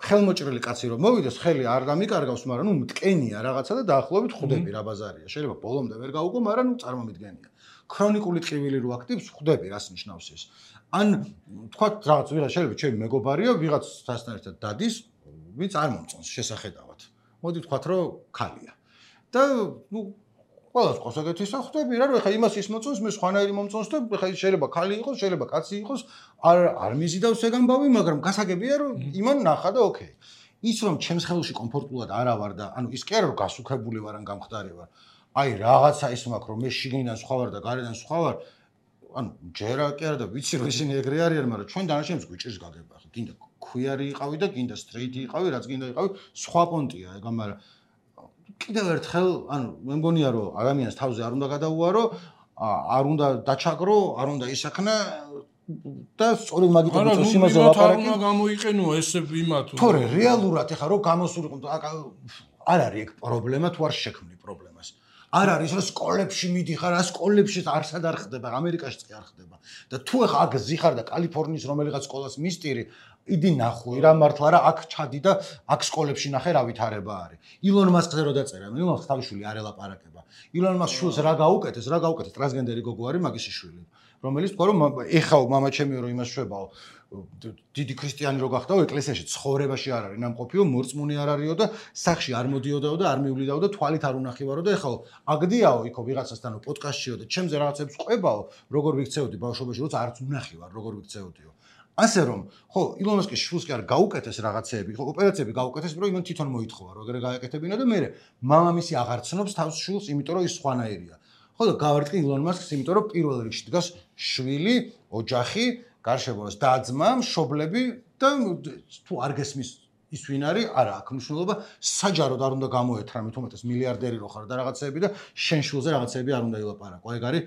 ხელმოჭრილი კაცი რომ მოვიდეს, ხელი არ დამიკარგავს, მაგრამ ნუ მტკენია რაღაცა და დაახლოებით ხვდები რა ბაზარია. შეიძლება ბოლომდე ვერ გავუგო, მაგრამ ნუ წარმომიდგენია. ქრონიკული ტკივილი რო აქტივს ხვდები რას ნიშნავს ეს. ან თქვა რაღაც ვიღაც შეიძლება ჩემი მეგობარია, ვიღაცასთან ერთად დადის, ვინც არ მომწონს შესახედავად. მოდი ვთქვათ რომ ქალია. და ნუ ყველას ყავს ეგეთი სახვდები რა, რომ ეხა იმას ის მოწონს, მე სხვანაირი მომწონს და ეხა შეიძლება ქალი იყოს, შეიძლება კაცი იყოს, არ არ მიზიდავს ეგ ამბავი, მაგრამ გასაგებია რომ იმან ნახა და ოკეი. ის რომ ჩემს ხელში კომფორტულად არა ვარ და ანუ ის კი არა რომ გასუქებული ვარ ან გამხდარი ვარ. აი რაღაცა ის მაქვს რომ მე შიგნიდან სხვა ვარ და გარედან სხვა ვარ. ანუ ჯერა კი არა და ვიცი რომ ისინი ეგრე არიან, მაგრამ ჩვენ დანარჩენებს გვიჭირს გაგება. ხო, გინდა ქვიარი იყავი და გინდა სტრეიტი იყავი, რაც გინდა იყავი, სხვა პონტია ეგ, მაგრამ კიდევ ერთხელ, ანუ მე მგონია რომ ადამიანს თავზე არ უნდა გადაუარო, არ უნდა დაჩაგრო, არ უნდა ისახნა და სწორედ მაგითაც უწევს იმაზე ლაპარაკი.
არ უნდა გამოიყენო ესე იმათ.
თორე რეალურად ეხა რომ გამოსულიყო არ არის ეგ პრობლემა თუ არ შექმნი პრობლემას. არ არის რომ სკოლებში მიდიხარ, რა სკოლებში არსად არ ხდება, ამერიკაშიც კი არ ხდება. და თუ ეხა აქ ზიხარ და კალიფორნიის რომელიღაც სკოლას მისტირი, იდი ნახვი რა მართლა რა აქ ჩადი და აქ სკოლებში ნახე რა ვითარება არის. ილონ მასკზე რო დაწერა, ილონ მასკს თავიშვილი არ ელაპარაკება. ილონ მასკს შულს რა გაუკეთეს, რა გაუკეთეს, ტრანსგენდერი გოგო არის მაგის შვილი. რომელიც თქვა რომ ეხაო მამა ჩემიო რომ იმას შვებაო დიდი ქრისტიანი რო გახდაო ეკლესიაში ცხოვრებაში არ არის ნამყოფიო მორწმუნე არ არისო და სახში არ მოდიოდაო და არ მივლიდაო და თვალით არ უნახივარო და ეხაო აგდიაო იქო ვიღაცასთანო პოდკასტშიო და ჩემზე რაღაცებს ყვებაო როგორ ვიქცეოდი ბავშვობაში როცა არც უნახივარ როგორ ვიქცეოდიო ასე რომ ხო ილონ მასკის შულს კი არ გაუკეთეს რაღაცეები ხო ოპერაციები გაუკეთეს რომ იმან თვითონ მოითხოვა რომ ეგრე გაეკეთებინა და მე მამამისი აღარ ცნობს თავს შულს იმიტომ რომ ის სხვანაირია ხო და გავარტყი ილონ მასკს იმიტომ რომ პირველ რიგში დგას შვილი ოჯახი გარშემოს და-ძმა, მშობლები და თუ არ გესმის ის ვინ არის, არა აქვს მნიშვნელობა, საჯაროდ არ უნდა გამოეთრა, მით უმეტეს მილიარდერი რო ხარ და რაღაცეები და შენ შულზე რაღაცეები არ უნდა ილაპარაკო. ეგ არის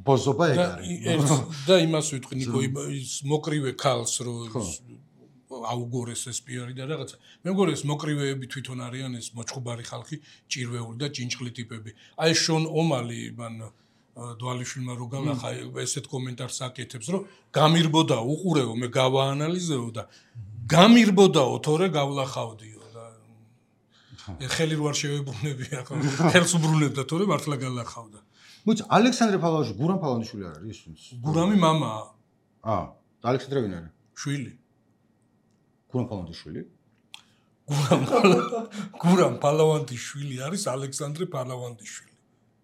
ბოზობა ეგ არის.
და იმას ვიტყვი ნიკო, ის მოკრივე ქალს რო აუგორეს ეს პიარი და რაღაცა. მე მგონი ეს მოკრივეები თვითონ არიან ეს მოჭხუბარი ხალხი, ჭირვეული და ჭინჭყლი ტიპები. აი შონ ომალი მან დვალიშვილმა რო განახა ესეთ კომენტარს აკეთებს რომ გამირბოდა უყურეო მე გავაანალიზეო და გამირბოდაო თორე გავლახავდიო და ხელი რო არ შევებრუნებია ხო ხელს უბრუნებდა თორე მართლა გალახავდა
მოიცა ალექსანდრე ფალავაჟი გურამ ფალავანიშვილი არ არის ის
გურამი მამაა
აა ალექსანდრე ვინ არის
შვილი
გურამ ფალავანიშვილი
გურამ გურამ ფალავანიშვილი არის ალექსანდრე ფალავანიშვილი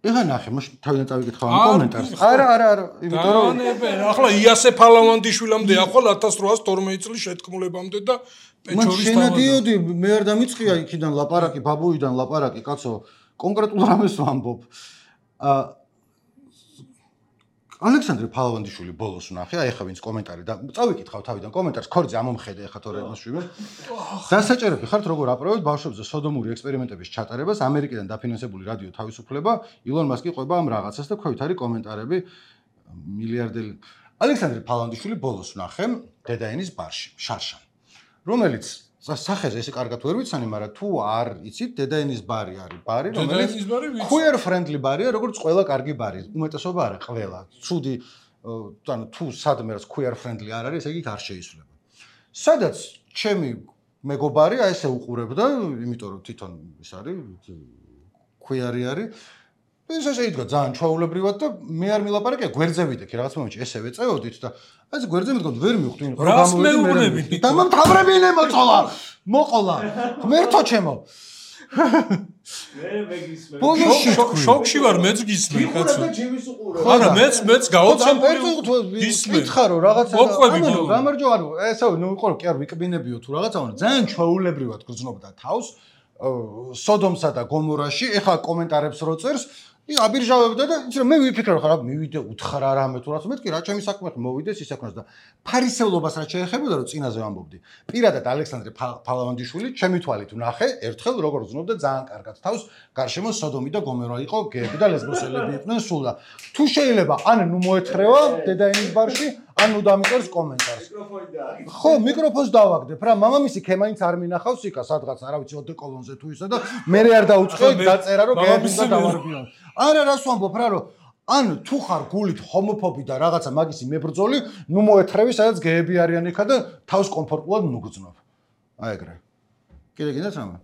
ეხა ნახე, მოშ თავიდან წავიკითხავ ამ კომენტარს. არა, არა, არა, იმიტომ რომ
განებენ, ახლა იასე ფალავანდიშვილამდე ახლა ათას რვაას თორმეტ წლის შეთქმულებამდე და პეჩორის
თავად. შენადიოდი, მე არ დამიწყია იქიდან ლაპარაკი, ბაბუიდან ლაპარაკი, კაცო, კონკრეტულ რამეს ვამბობ. აა ალექსანდრე ფალავანდიშვილი ბოლოს ვნახე, აი ახლა ვინც კომენტარი და წავიკითხავ თავიდან კომენტარს, ქორძე ამომხედე ახლა თორე მასშვიმე. დასაჭერები ხართ როგორ აპრობებთ ბავშვებზე სოდომური ექსპერიმენტების ჩატარებას, ამერიკიდან დაფინანსებული რადიო თავისუფლება, ილონ მასკი ყვება ამ რაღაცას და ქვევით არის კომენტარები მილიარდელი. ალექსანდრე ფალავანდიშვილი ბოლოს ვნახე დედაენის ბარში, შარშან. რომელიც სახეზე ესე კარგად ვერ ვიცანი, მაგრამ თუ არ იცით, დედაენის ბარი არის ბარი, რომელიც queer friendly ბარია, როგორც ყველა კარგი ბარი. უმეტესობა არა, ყველა. ცუდი, ანუ თუ სადმე რაც queer friendly არ არის, ეგ იქ არ შეიცვლება. სადაც ჩემი მეგობარი აი ესე უყურებდა, იმიტომ რომ თვითონ ის არის queer-ი არის. ეს ესე იდგა ძალიან ჩვეულებრივად და მე არ მილაპარაკე, გვერდზე ვიდექი რაღაც მომენტში ესე ვეწეოდით და აი გვერდზე მდგომ ვერ მივხვდი
რომ გამოვიდი.
დამამთავრებინე მოწოლა. მოყოლა. ღმერთო ჩემო.
მე მეგისმენ.
ბოლოში
შოკში ვარ, მეც გისმენ, კაცო. არა, მეც მეც გაოცებული გისმენ.
კითხარო რაღაცა. ანუ გამარჯო, ანუ ესე ნუ იყო რომ კი არ ვიკბინებიო თუ რაღაცა, ანუ ძალიან ჩვეულებრივად გრძნობდა თავს. სოდომსა და გომორაში, ეხა კომენტარებს რო წერს, ი აბირჟავებდა და იცი რომ მე ვიფიქრე ხარ მივიდე უთხრა რამე თუ რაც მეთქი რა ჩემი საქმე მოვიდეს ის საქმეს და ფარისევლობას რა შეეხებოდა რომ წინაზე ვამბობდი პირადად ალექსანდრე ფალავანდიშვილი ჩემი თვალით ვნახე ერთხელ როგორ ზნობდა ძალიან კარგად თავს გარშემო სოდომი და გომორა იყო გეები და ლესბოსელები იყვნენ სულ და თუ შეიძლება ან ნუ მოეთხრევა დედაენის ბარში ან ნუ დამიწერს კომენტარს
მიკროფონი და
ხო მიკროფონს დავაგდებ რა მამამისი ქემაინც არ მინახავს იქა სადღაც არა ვიცი ოდეკოლონზე თუ ისა და მე არ დაუწყე დაწერა რომ გეები და დავარბიონ არა რას ვამბობ რა რომ ან თუ ხარ გულით ჰომოფობი და რაღაცა მაგისი მებრძოლი ნუ მოეთხრევი სადაც გეები არიან იქა და თავს კომფორტულად ნუ გძნობ აი ეგრე კიდე გინდათ რამე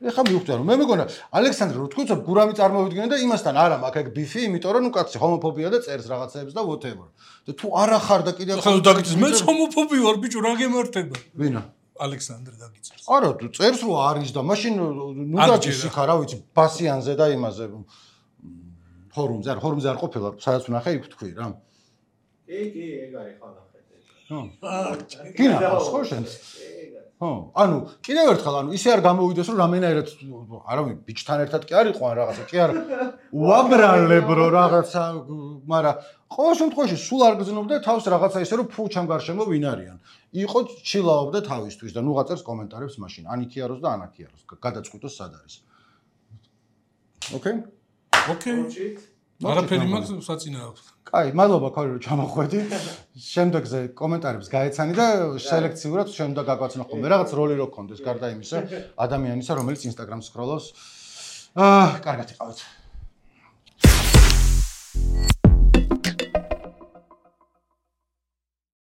ეხა მივხვდი რომ მე მეგონა ალექსანდრე რო თქვით რომ გურამი წარმოვიდგინე და იმასთან არა მაქვს ეგ ბიფი იმიტომ რომ ნუ კაცი ჰომოფობია და წერს რაღაცეებს და whatever და თუ არა ხარ და კიდე
ხო დაგიწეს მეც ჰომოფობი ვარ ბიჭო რა გემართება
ვინა
ალექსანდრე დაგიწერს
არა თუ წერს რომ არის და მაშინ ნუ დაჭის იქ რა ვიცი ბასიანზე და იმაზე ფორუმზე არ ფორუმზე არ ყოფილა სადაც ვნახე იქ თქვი რა
კი კი ეგ არის ხალხეთი
ხო გინახავს ხო შენს ხო ანუ კიდევ ერთხელ ანუ ისე არ გამოვიდეს რომ რამენაერად არავინ ბიჭთან ერთად კი არ იყო ან რაღაცა კი არ უაბრალებ რო რაღაცა მაგრამ ყოველ შემთხვევაში სულ არ გძნობდა თავს რაღაცა ისე რომ ფუ ჩამ გარშემო ვინ არიან იყო ჩილაობდა თავისთვის და ნუ გაწერს კომენტარებს მაშინ ან იქიაროს და ან აქიაროს გადაწყვიტოს სად არის ოკეი
ოკეი არაფერი მაქვს საწინააღმდეგო
კაი მადლობა ქორი რომ ჩამოხვედი შემდეგზე კომენტარებს გაეცანი და სელექციურად შემდგა გაგვაცნო ხოლმე რაღაც როლი რო გქონდეს გარდა იმისა ადამიანისა რომელიც ინსტაგრამს სკროლავს აა კარგად იყავით